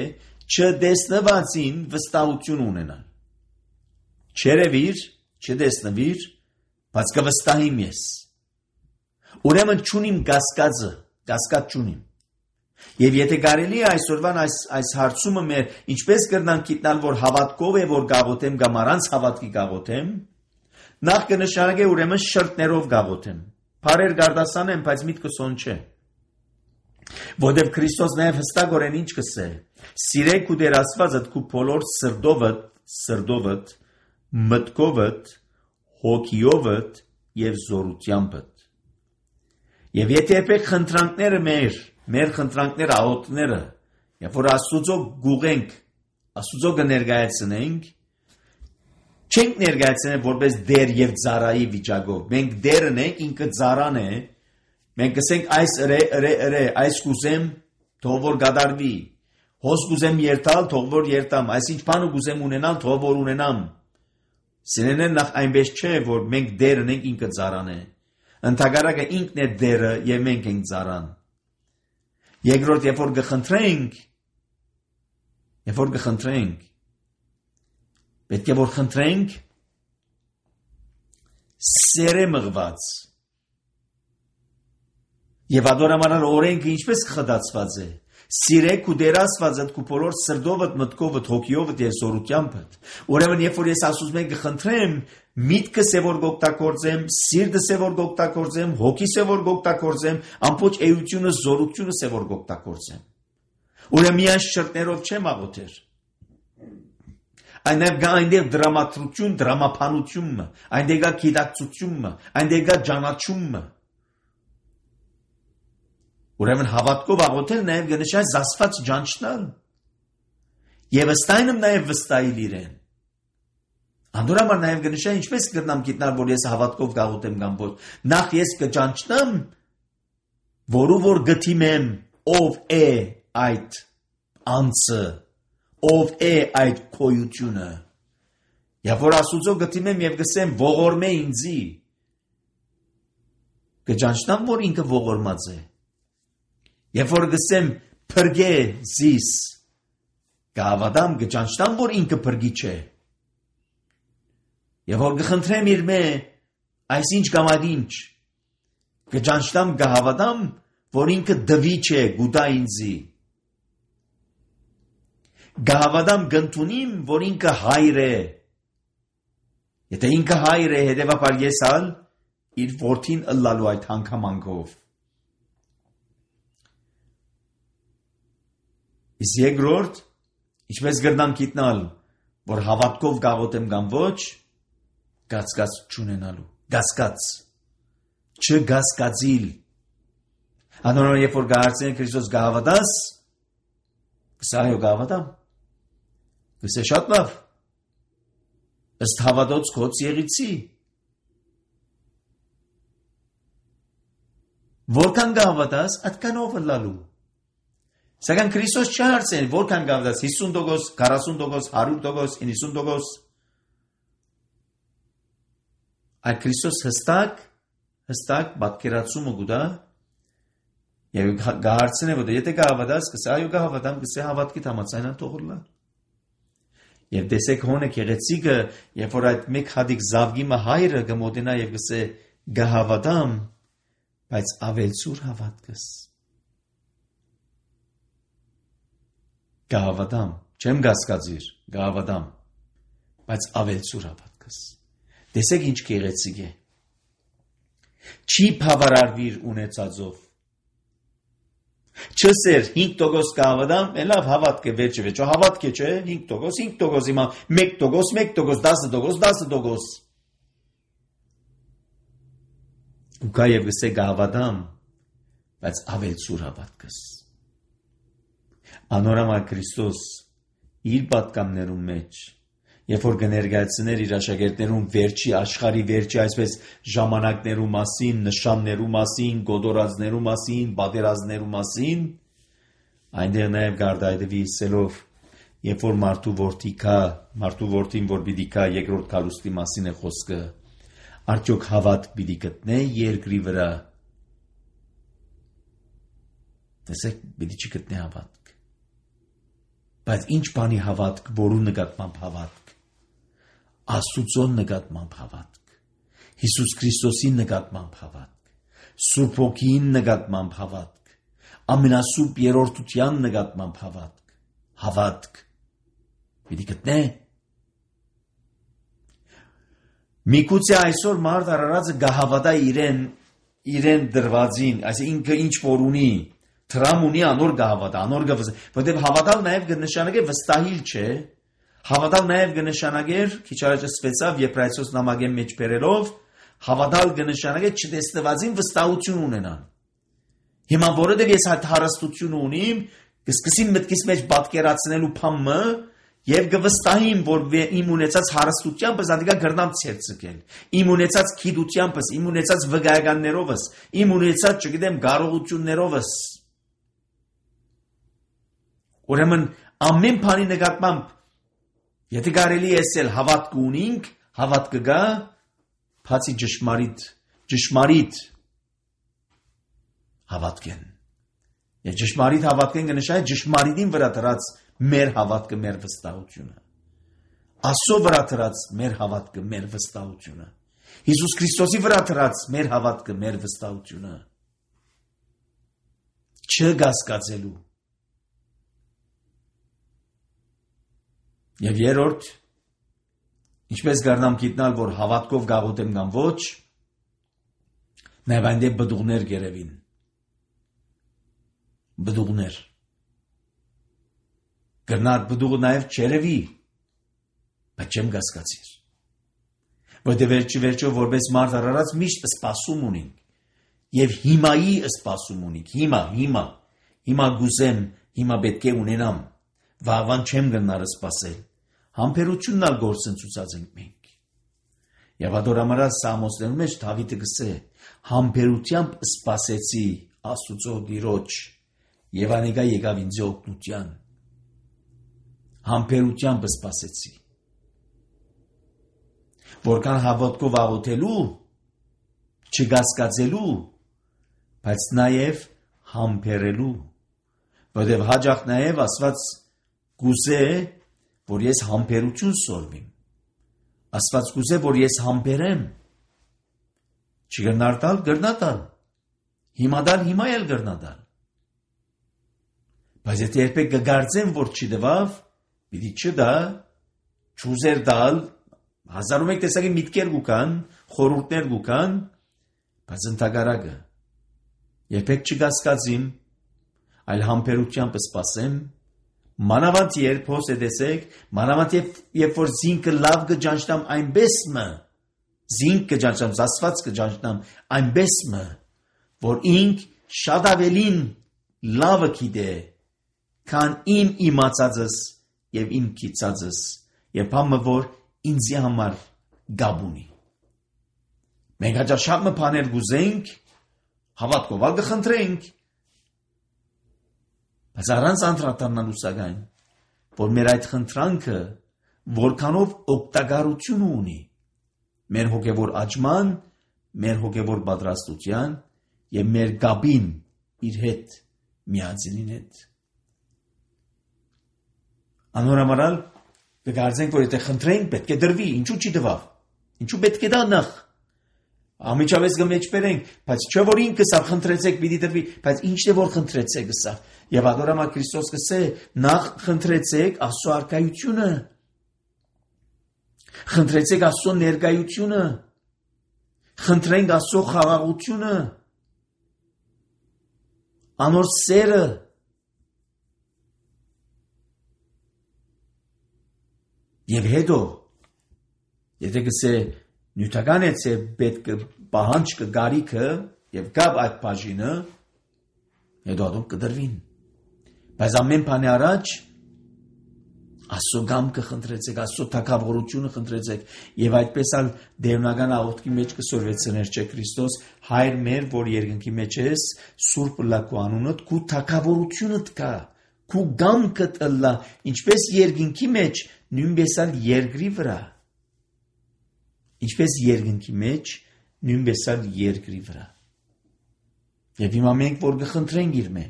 չտեսնվածին վստահություն ունենալ։ Չերևիր, չտեսնվիր, բայց կվստահիմ ես։ Ուրեմն չունիմ կասկածը, կասկած չունիմ։ Եվ եթե կարելի է այսօրվան այս հարցումը մեր ինչպես կրնանք գիտնալ, որ հավատքով է, որ գաղութեմ կամ առանց հավատքի գաղութեմ, նախ կնշանակե ուրեմն շրտներով գաղութեմ։ Փարեր գարդասանեմ, բայց միտքս on չէ։ Որտեւ Քրիստոս նաև հստակորեն ինչ կսե. «Սիրեք ու Տեր Աստվածդ քու բոլոր սրտովդ, մտքովդ, հոգիովդ եւ զորությանդ»։ Եվ եթե եպեք խնդրանքները մեր խնդրանքները, աղոթքները, երբ որ Աստուծո գուղենք, Աստուծո կներկայացնենք, չենք ներկայացնել որպես դեր եւ ծառայի վիճակով։ Մենք դերն ենք, ինքը ծառան է։ Մենք կսենք այս այս կուզեմ, թող որ գադարվի։ Հոս կուզեմ երթալ, թող որ երթամ։ Այսինչ բանը կուզեմ ունենալ, թող որ ունենամ։ Սիրելիներ, նախ այնպես չէ, որ մենք դերն ենք, ինքը ծառան է։ Ընդհակառակը ինքն է դերը եւ մենք ենք ծառան։ Երկրորդ, երբ որ կխնդրենք, պետք է որ խնդրենք սերը մղված։ Եվ adorամանալ օրենքը ինչպես խդացված է։ Սիրեք ու Տեր Աստվածդ քու բոլոր սրտովդ, մտքովդ, հոգիովդ եւ զորությանդ։ Ուրեմն երբ որ ես ասում եմ կխնդրեմ, միտքս է որ գօգտագործեմ, սիրտս է որ գօգտագործեմ, հոգիս է որ գօգտագործեմ, ամբողջ էությունը, զորությունս է որ գօգտագործեմ։ Ուրեմն միայն շրտներով չեմ աղոթեր։ Այնտեղ կա այնտեղ դրամատրություն, դրամապանություն, այնտեղ կա գիտակցություն, այնտեղ կա ճանաչում։ Ուրեմն հավատքով աղոթել նաև կնշանակի զասված ճանչնալ։ Եվ ըստայնմ նաև վստահել իրեն։ Անդորամար նաև կնշանակի ինչպես կգտնամ գիտնալ, որ ես հավատքով կաղոթեմ կամ ոչ։ Նախ ես կճանչնամ, որու որ գտիմեմ ով է այդ անձը, ով է այդ քոյությունը։ Եվ որ Աստուծո գտիմեմ եւ գսեմ ողորմե ինձի։ Կճանչնամ, որ ինքը ողորմած է։ Եվ որ գսեմ փրկե զիս, կհավատամ կճանչնամ, որ ինքը փրկիչ է։ Եվ որ կխնդրեմ իր մե այսինչ կամ այդինչ, կճանչնամ կհավատամ, որ ինքը դվիչ է, գուտա ինձի։ Կհավատամ կընդունիմ, որ ինքը հայր է։ Եթե ինքը հայր է, հետևաբար ես ալ իր որդին ըլլալու այդ հանգամանքով։ Իսկ երկրորդ, ինչպես կրնամ գիտնալ, որ հավատքով գաղոթեմ կամ ոչ, գասկած չունենալու, գասկած, չգասկածիլ։ Անորոն երբ որ գահարցեն Քրիստոս գահավատաս, կսա այո գահավատամ, կսե շատ լավ, ըստ հավատոց կոց եղիցի։ Որքան գահավատաս, այդքանով ըլլալու։ Սակայն Քրիստոս չհարցեն, որքան գավդաս 50%, 40%, 100%, 90%։ Այդ Քրիստոս հստակ պատկերացումը գուտա եւ գահարցեն է, որ եթե գավդաս, կսա այո գավդամ, կսա հավատքի համաձայնան թողորլա։ Եվ տեսեք հոնը քեղեցիկը, երբ որ այդ մեկ հատիկ զավգիմը հայրը կմոտենա եւ կսե գահավատամ, բայց ավելցուր հավատքս։ Գահավատամ, չեմ գասկածիր, գահավատամ, բայց ավելցուր հավատքս։ Տեսեք ինչ գեղեցիկ է։ Չի բավարարվիր ունեցածով։ Չսեր 5% գահավատամ, լավ հավատք է վերջը, հավատք է չէ, 5%, 5% հիմա 1%, 1%, 10%։ Ու կա եւ գսե գահավատամ, բայց ավելցուր հավատքս։ Անորամալ Քրիստոս իր պատկամներում մեջ, երբ որ կներկայացներ իր աշակերտներուն վերջի աշխարհի վերջի այսպես ժամանակներու մասին, նշաններու մասին, գոդորածներու մասին, պատերազմներու մասին, այնտեղ նաև գարդայդվի սելով, երբ որ մարդու որդին որ պիտի կա երկրորդ քալուստի մասին է խոսքը, արդյոք հավատք պիտի գտնե երկրի վրա։ Տեսեք, պիտի չգտնե հավատք։ Բայց ինչ բանի հավատք, որու նկատմամբ հավատք, Աստուծո նկատմամբ հավատք, Հիսուս Քրիստոսի նկատմամբ հավատք, Սուրբ Հոգին նկատմամբ հավատք, ամենասուրբ երրորդության նկատմամբ հավատք պիտի գտնե։ Միգուցե այսօր մարդ արարածը գահավատա իրեն դրվածին, այսինքն ինքը ինչ որ ունի, տրամ ունի անոր գահավատա, անոր գվզը, որտեղ հավատալ նաև կնշանակե վստահիլ չէ, հավատալ նաև կնշանակեր, քիչ առաջ ասվեցավ Եբրայեցոս նամակի մեջ բերելով, հավատալ կնշանակե չտեսնվածին վստահություն ունենալ։ Հիմա որովհետև ես այդ հարստությունը ունիմ, կսկսին մտքիս մեջ պատկերացնելու փամը եւ կվստահիմ, որ իմ ունեցած հարստությամբ զանդիկա գրնամ ցերծկել, իմ ունեցած քիդությանս, իմ ունեցած վգայականներովս, իմ ունեցած, չգիտեմ, կարողություններովս։ Ուրեմն ամեն բանի նկատմամբ եթե կարելի է ասել հավատք ունենք, հավատքը գա, բացի ճշմարիտ հավատքեն։ Եվ ճշմարիտ հավատքեն կնշանակի ճշմարիտին վրա դրած մեր հավատքը, մեր վստահությունը։ Աստծո վրա դրած մեր հավատքը, մեր վստահությունը։ Հիսուս Քրիստոսի վրա դրած մեր հավատքը, մեր վստահությունը։ Չգասկածելու։ Եվ երրորդ, ինչպես կարնամ գիտնալ, որ հավատքով գաղութեմ կամ ոչ, նաև այնտեղ բդուղներ գերևին։ Բդուղներ։ Գրնար բդուղը նաև չերևի, բայց չեմ գասկածիր։ Որտեղ վերջը որպես մարդ արարած միշտ սպասում ունենք։ Եվ հիմայի սպասում ունենք, հիմա գուզեմ, հիմա պետք է ունենամ, վաղվան չեմ գնար սպասել։ Համբերությունն ալ գործընծուցած ենք մենք։ Եվ ադորամարած Սամոսներում մեջ Դավիթը գսե, համբերությամբ սպասեցի Աստուծո Տիրոջ, եւ անեկա եկավ ինձ օգնության։ Համբերությամբ սպասեցի։ Որքան հավատքով աղոթելու, չգասկածելու, բայց նաև համբերելու, որտեղ հաջող նաև Աստված գուզե, որ ես համբերություն սորվիմ։ Աստված գուզե, որ ես համբերեմ։ Չգրնարտալ, գրնատալ։ Հիմադալ, հիմա էլ գրնատալ։ Բայց եթե երբեք կգարձեմ, որ չդվավ, պիտի չդա, չուզեր դալ, 1001 տեսակի միտքեր գուկան, խորհուրդներ գուկան, բայց ընդհակառակը երբեք չգասկածիմ, այլ համբերությամբ սպասեմ, մանավանդ երբ հոս է տեսեք, մանավանդ երբ որ զինքը լավ կջանչնամ այնպես մը, զինք կջանչնամ, զասված կջանչնամ այնպես մը, որ ինք շատ ավելին լավը գիտե, քան իմ իմացածս եւ իմ քիծածս, եւ համը որ ինձի համար գաբ ունի։ Մենք հաճախ շատ մը բաներ գուզենք, հավատքով ալ կխնդրենք, բայց առանց անդրադառնալու սակայն, որ մեր այդ խնդրանքը որքանով օգտակարություն ունի մեր հոգևոր աճման, մեր հոգևոր պատրաստության եւ մեր գաբին իր հետ միածինին հետ։ Անորամարալ կգարձենք, որ եթե խնդրենք, պետք է դրվի, ինչու չի դվավ, ինչու պետք է դա նախ, ամիջավես գմեջ բերենք, բայց չէ որ ինքս ավ խնդրեցեք պիտի դրվի, բայց ինչն է որ խնդրեցեք ըսավ, եւ ադորամա Քրիստոս կսե, նախ խնդրեցեք Աստծո արքայությունը, խնդրեցեք Աստծո ներկայությունը, խնդրենք Աստծո խաղաղությունը, անոր սերը, եւ հետո, եթե կսե նյութական է պետք պահանջքը գարիքը եւ գավ այդ բաժինը, հետո ադում կդրվին։ Բայց ամեն բանի առաջ Աստծո գամքը խնդրեցեք, Աստծո թագավորությունը խնդրեցեք եւ այդպես ալ դերնական աղոթքի մեջ կսորվեցներ չէ Քրիստոս, Հայր մեր, որ երկնքի մեջ ես, Սուրբ լակու անունդ, քու թագավորությունդ կա, քու գամքդ ըլլա, ինչպես երկնքի մեջ, նույնպես ալ երկրի վրա։ Ինչպես երկնքի մեջ, նույնպես ալ երկրի վրա։ Եվ հիմա մենք որ կխնդրենք իր մե։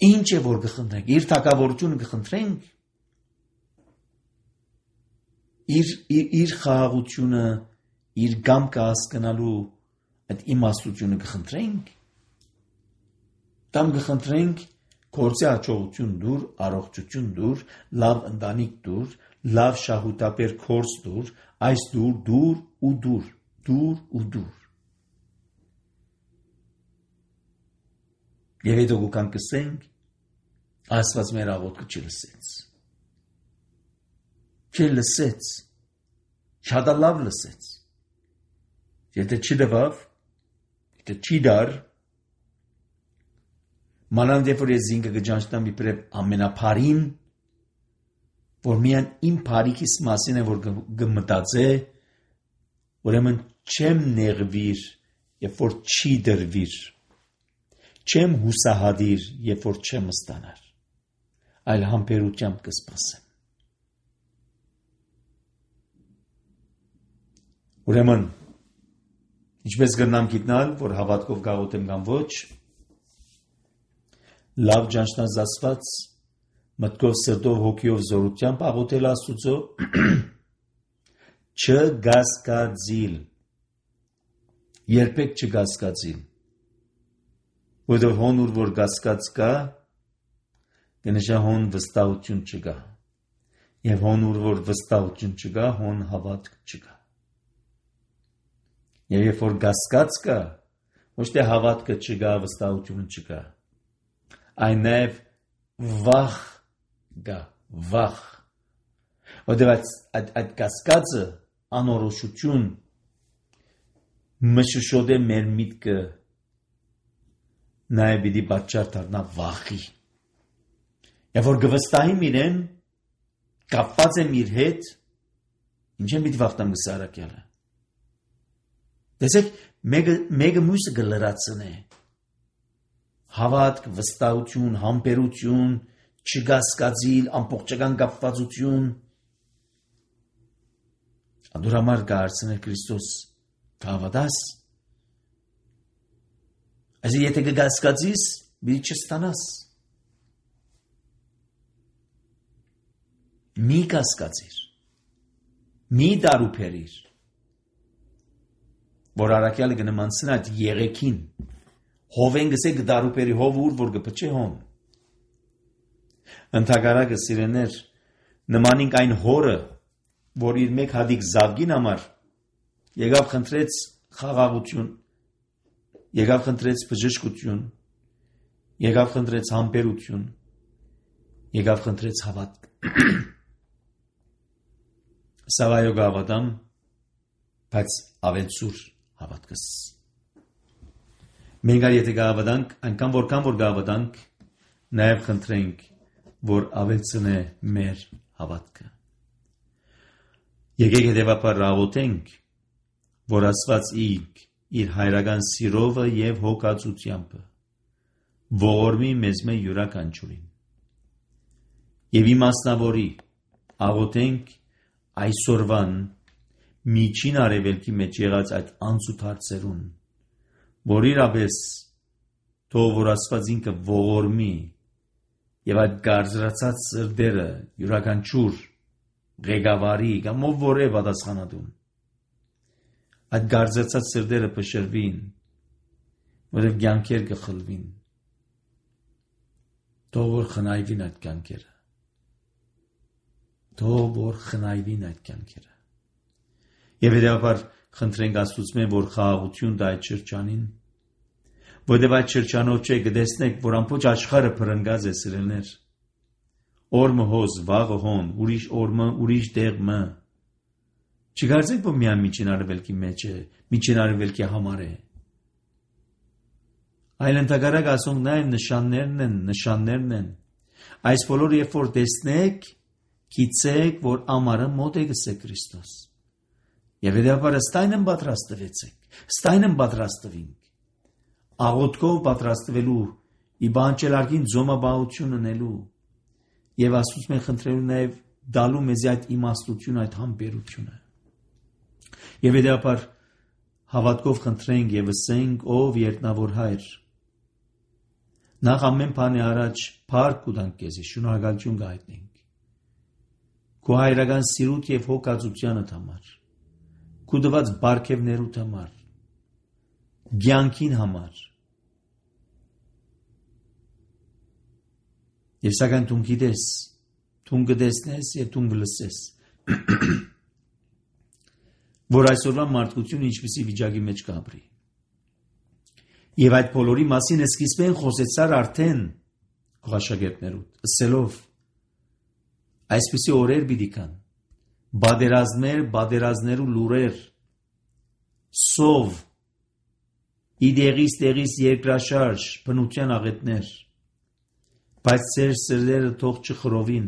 Ինչ է որ կխնդրենք, իր թագավորությունը կխնդրենք, իր խաղաղությունը, իր գամքը հասկանալու այդ իմաստությունը կխնդրենք, Տամ կխնդրենք գործի հաջողություն դուր, առողջություն դուր, լավ ընտանիք դուր, լավ շահութապեր կորս դուր, այս դուր ու դուր։ Եվ հետո գուկան կսենք, Աստված մեր աղոթքը չլսեց։ Չլսեց։ Շատ լավ լսեց։ Եթե չդվավ, եթե չի դար, մանավանդ երբ որ ես զինքը կճանչնամ իբրև ամենափարին, որ միայն իմ փարիքիս մասին է, որ կմտածե, ուրեմն չեմ նեղվիր, երբ որ չի դրվիր, չեմ հուսահատիր, երբ որ չեմ ստանար, այլ համբերությամբ կսպասեմ։ Ուրեմն, ինչպես կրնամ գիտնալ, որ հավատքով գաղութեմ կամ ոչ, լավ ճանչնած Աստված, մտքով, սրտով, հոգիով, զորությամբ աղոթել Աստուծո, չգասկածիլ, երբեք չգասկածիլ, որովհետև հոն ուր որ գասկած կա, կնշա հոն վստահություն չկա, եւ հոն ուր որ վստահություն չկա, հոն հավատք չկա։ Եվ երբ որ գասկած կա, ոչ թե հավատքը չկա, վստահությունը չկա, այն նաև վախ կա, վախ։ Որտեղ այդ գասկածը անորոշություն մշուշոտ է մեր միտքը նաև պիտի պատճառ դառնա վախի։ Եվ որ գվստահիմ իրեն, կապված եմ իր հետ, ինչ եմ պիտի վախտամ գսարակյալը։ Տեսեք, մեկը մյուսը կլրացնե։ Հավատք, վստահություն, համբերություն, չգասկածիլ, ամբողջական կապվածություն։ Անդուր համար կհարցնել Քրիստոս կհավատաս։ Այսինքն եթե կգասկածիս, պիտի չստանաս։ Մի կասկածիր, մի դարուփերիր, որ առաքյալը կնմանցնա այդ եղեքին, հովեն գսե կդարուփերի հով ուր, որ կպչե հոն։ Ընթագարակը սիրեներ, նմանինք այն հորը, որ իր մեկ հատիկ զավգին համար, եկավ խնդրեց խաղաղություն, եկավ խնդրեց բժշկություն, եկավ խնդրեց համբերություն, եկավ խնդրեց հավատք։ Սավայո գավադամ, բայց ավելցուր հավատքս։ Մենք եթե գավաданք, այնքան որքան որ գավաданք, նաև խնդրենք, որ ավելցնե մեր հավատքը։ Եկեք հետևաբար աղոթենք, որ Աստված իր հայրական սիրովը եւ հոգացությամբ ողորմի մեզ մեր յուրաքանչյուրին։ Եվ իմաստնավորի աղոթենք այսօրվան միջին արևելքի մեջ եղած այդ անցուտ հարցերուն, որ իրապես թող որ Աստված ինքը ողորմի եւ այդ գարձրացած սրտերը յուրաքանչյուր ղեկավարի կամ ով որ է պատասխանատուն այդ գարձրացած սրտերը փշրվին, որև կյանքեր կխլվին, թող որ խնայվին այդ կյանքերը, թող որ խնայվին այդ կյանքերը։ Եվ հետևաբար խնդրենք Աստծուց որ խաղաղություն տա այդ շրջանին, որտեղ այդ շրջանով չէ կտեսնեք, որ ամբողջ աշխարհը փրկած է սիրելներ։ Օրը հոզ, վաղը հոն, ուրիշ օրը, ուրիշ տեղը։ Չգարձեք, որ միայն միջին արևելքի մեջ է, միջին արևելքի համար է։ Այլ ընդհակառակ ասոնք նաև նշաններն են։ Այս բոլորը երբ որ տեսնեք, գիտեք, որ ամառը մոտ է գսե Քրիստոս։ Եվ հետևաբար ստայն եմ պատրաստվինք, աղոթքով պատրաստվելու, իբանչելարկին ձոմաբահություն ունելու, եւ Աստծուց մենք խնդրելու նաեւ դալու մեզ այդ իմաստությունը, այդ համբերությունը։ Եվ հետևաբար հավատքով խնդրենք եւ ասենք, ով երտնավոր հայր, նախ ամեն բանի առաջ փառք կտանք քեզ, շնորհակալություն կհայտնենք քո հայրական սիրուտ եւ հոգացությանդ համար, քո դված բարգեւներուդ համար, ցանկին համար, Եվ սակայն դու գիտես, դու գտեսնես եւ դու գլսես, որ այսօրվա մարդկությունը ինչպիսի վիճակի մեջ կապրի։ Եվ այդ բոլորի մասին սկիզբեն խոսեցար արդեն քո աշակերտներուդ, ասելով այսպիսի օրեր պիտի կան, բادرազներու լուրեր, սով, իդեղից երկրաշարժ, բնության աղետներ, բայց ծեր սրտերը թող չխռովին։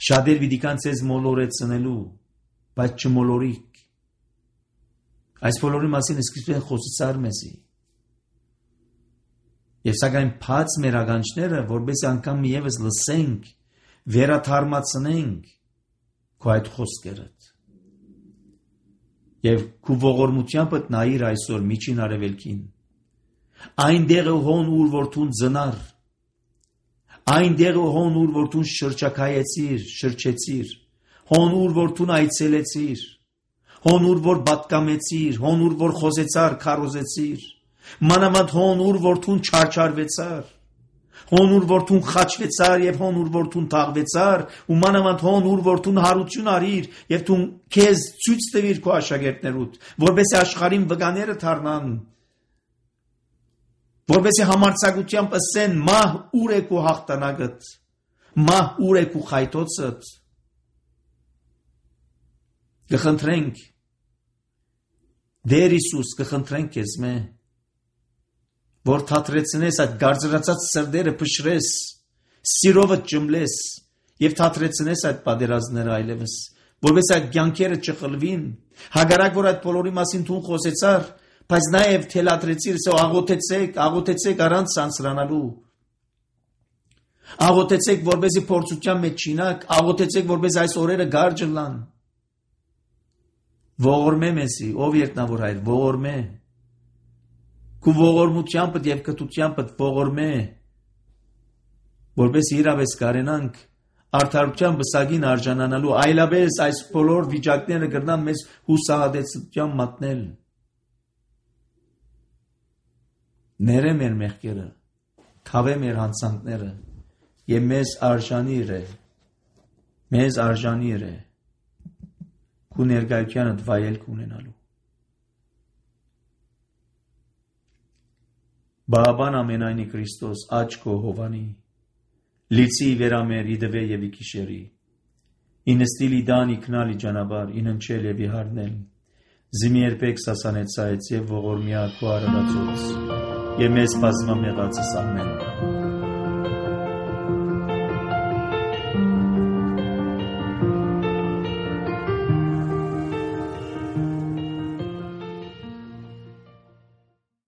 Շատեր պիտի կան ցեզ մոլորեցնելու, բայց չմոլորիկ։ Այս բոլորի մասին սկիզբեն խոսեցար մեզի։ Եվ սակայն բաց մեր ականջները, որպես անգամ միևս լսենք, վերաթարմացնենք քո այդ խոսքերդ։ Եվ քո ողորմությամբ նայիր այսօր միջին արևելքին։ Այնտեղը հոն ուր որ դու ծնար, այնտեղը հոն ուր որ դու շրջեցիր, հոն ուր որ դու այցելեցիր, հոն ուր որ պատկամեցիր, հոն ուր որ խոսեցար, քարոզեցիր, մանավանդ հոն ուր որ դու չարչարվեցար, հոն ուր որ դու խաչվեցար եւ հոն ուր որ դու թաղվեցար, ու մանավանդ հոն ուր որ դու հարություն արիր եւ դու քեզ ցույց տվիր քո աշակերտներուդ, որովհետեւ աշխարհին վկաները դառնան, որովհետեւ համարձակությամբ ասեն մահ ուր է քո հաղթանակդ, մահ ուր է քո խայթոցդ։ Կխնդրենք Դեր Հիսուս, կխնդրենք քեզ մե, որ թատրեցնես այդ գարձրացած սրտերը փշրես, սիրովը ճմլես եւ թատրեցնես այդ պատերազմները այլևս, որովհետեւ այդ կյանքերը չխլվին, հագարակ որ այդ բոլորի մասին դու խոսեցար, բայց նաեւ թելադրեցիր, աղոթեցեք առանց սանսրանալու, աղոթեցեք որպեսզի փորձության մեջ չինակ, աղոթեցեք որպեսզի այս օրերը գարջ լան։ Ողորմե մեզի, ով երկնավոր հայր, ողորմե, քո ողորմությամբ եւ կտությամբ ողորմե, որպես իրավես կարենանք արդարության բսագին արժանանալու, այլապես այս բոլոր վիճակները կգրնան մեզ հուսահատեցության մատնել։ Ները մեր մեղքերը, քավե մեր հանցանքները, եւ մեզ արժանի է քո ներկայությանդ վայելք ունենալու։ Բաբան ամենայնի Քրիստոս աչք քո հովանի, լիցի վերամեր իդվե եւ իքիշերի, ինստիլի դանի քնալի ճանապար, իննչել եւ իհարնել, զիմի երբեք սասանեցայց եւ ողորմյա քո արարածոց, եւ մեզ բազմամեղացս ամեն։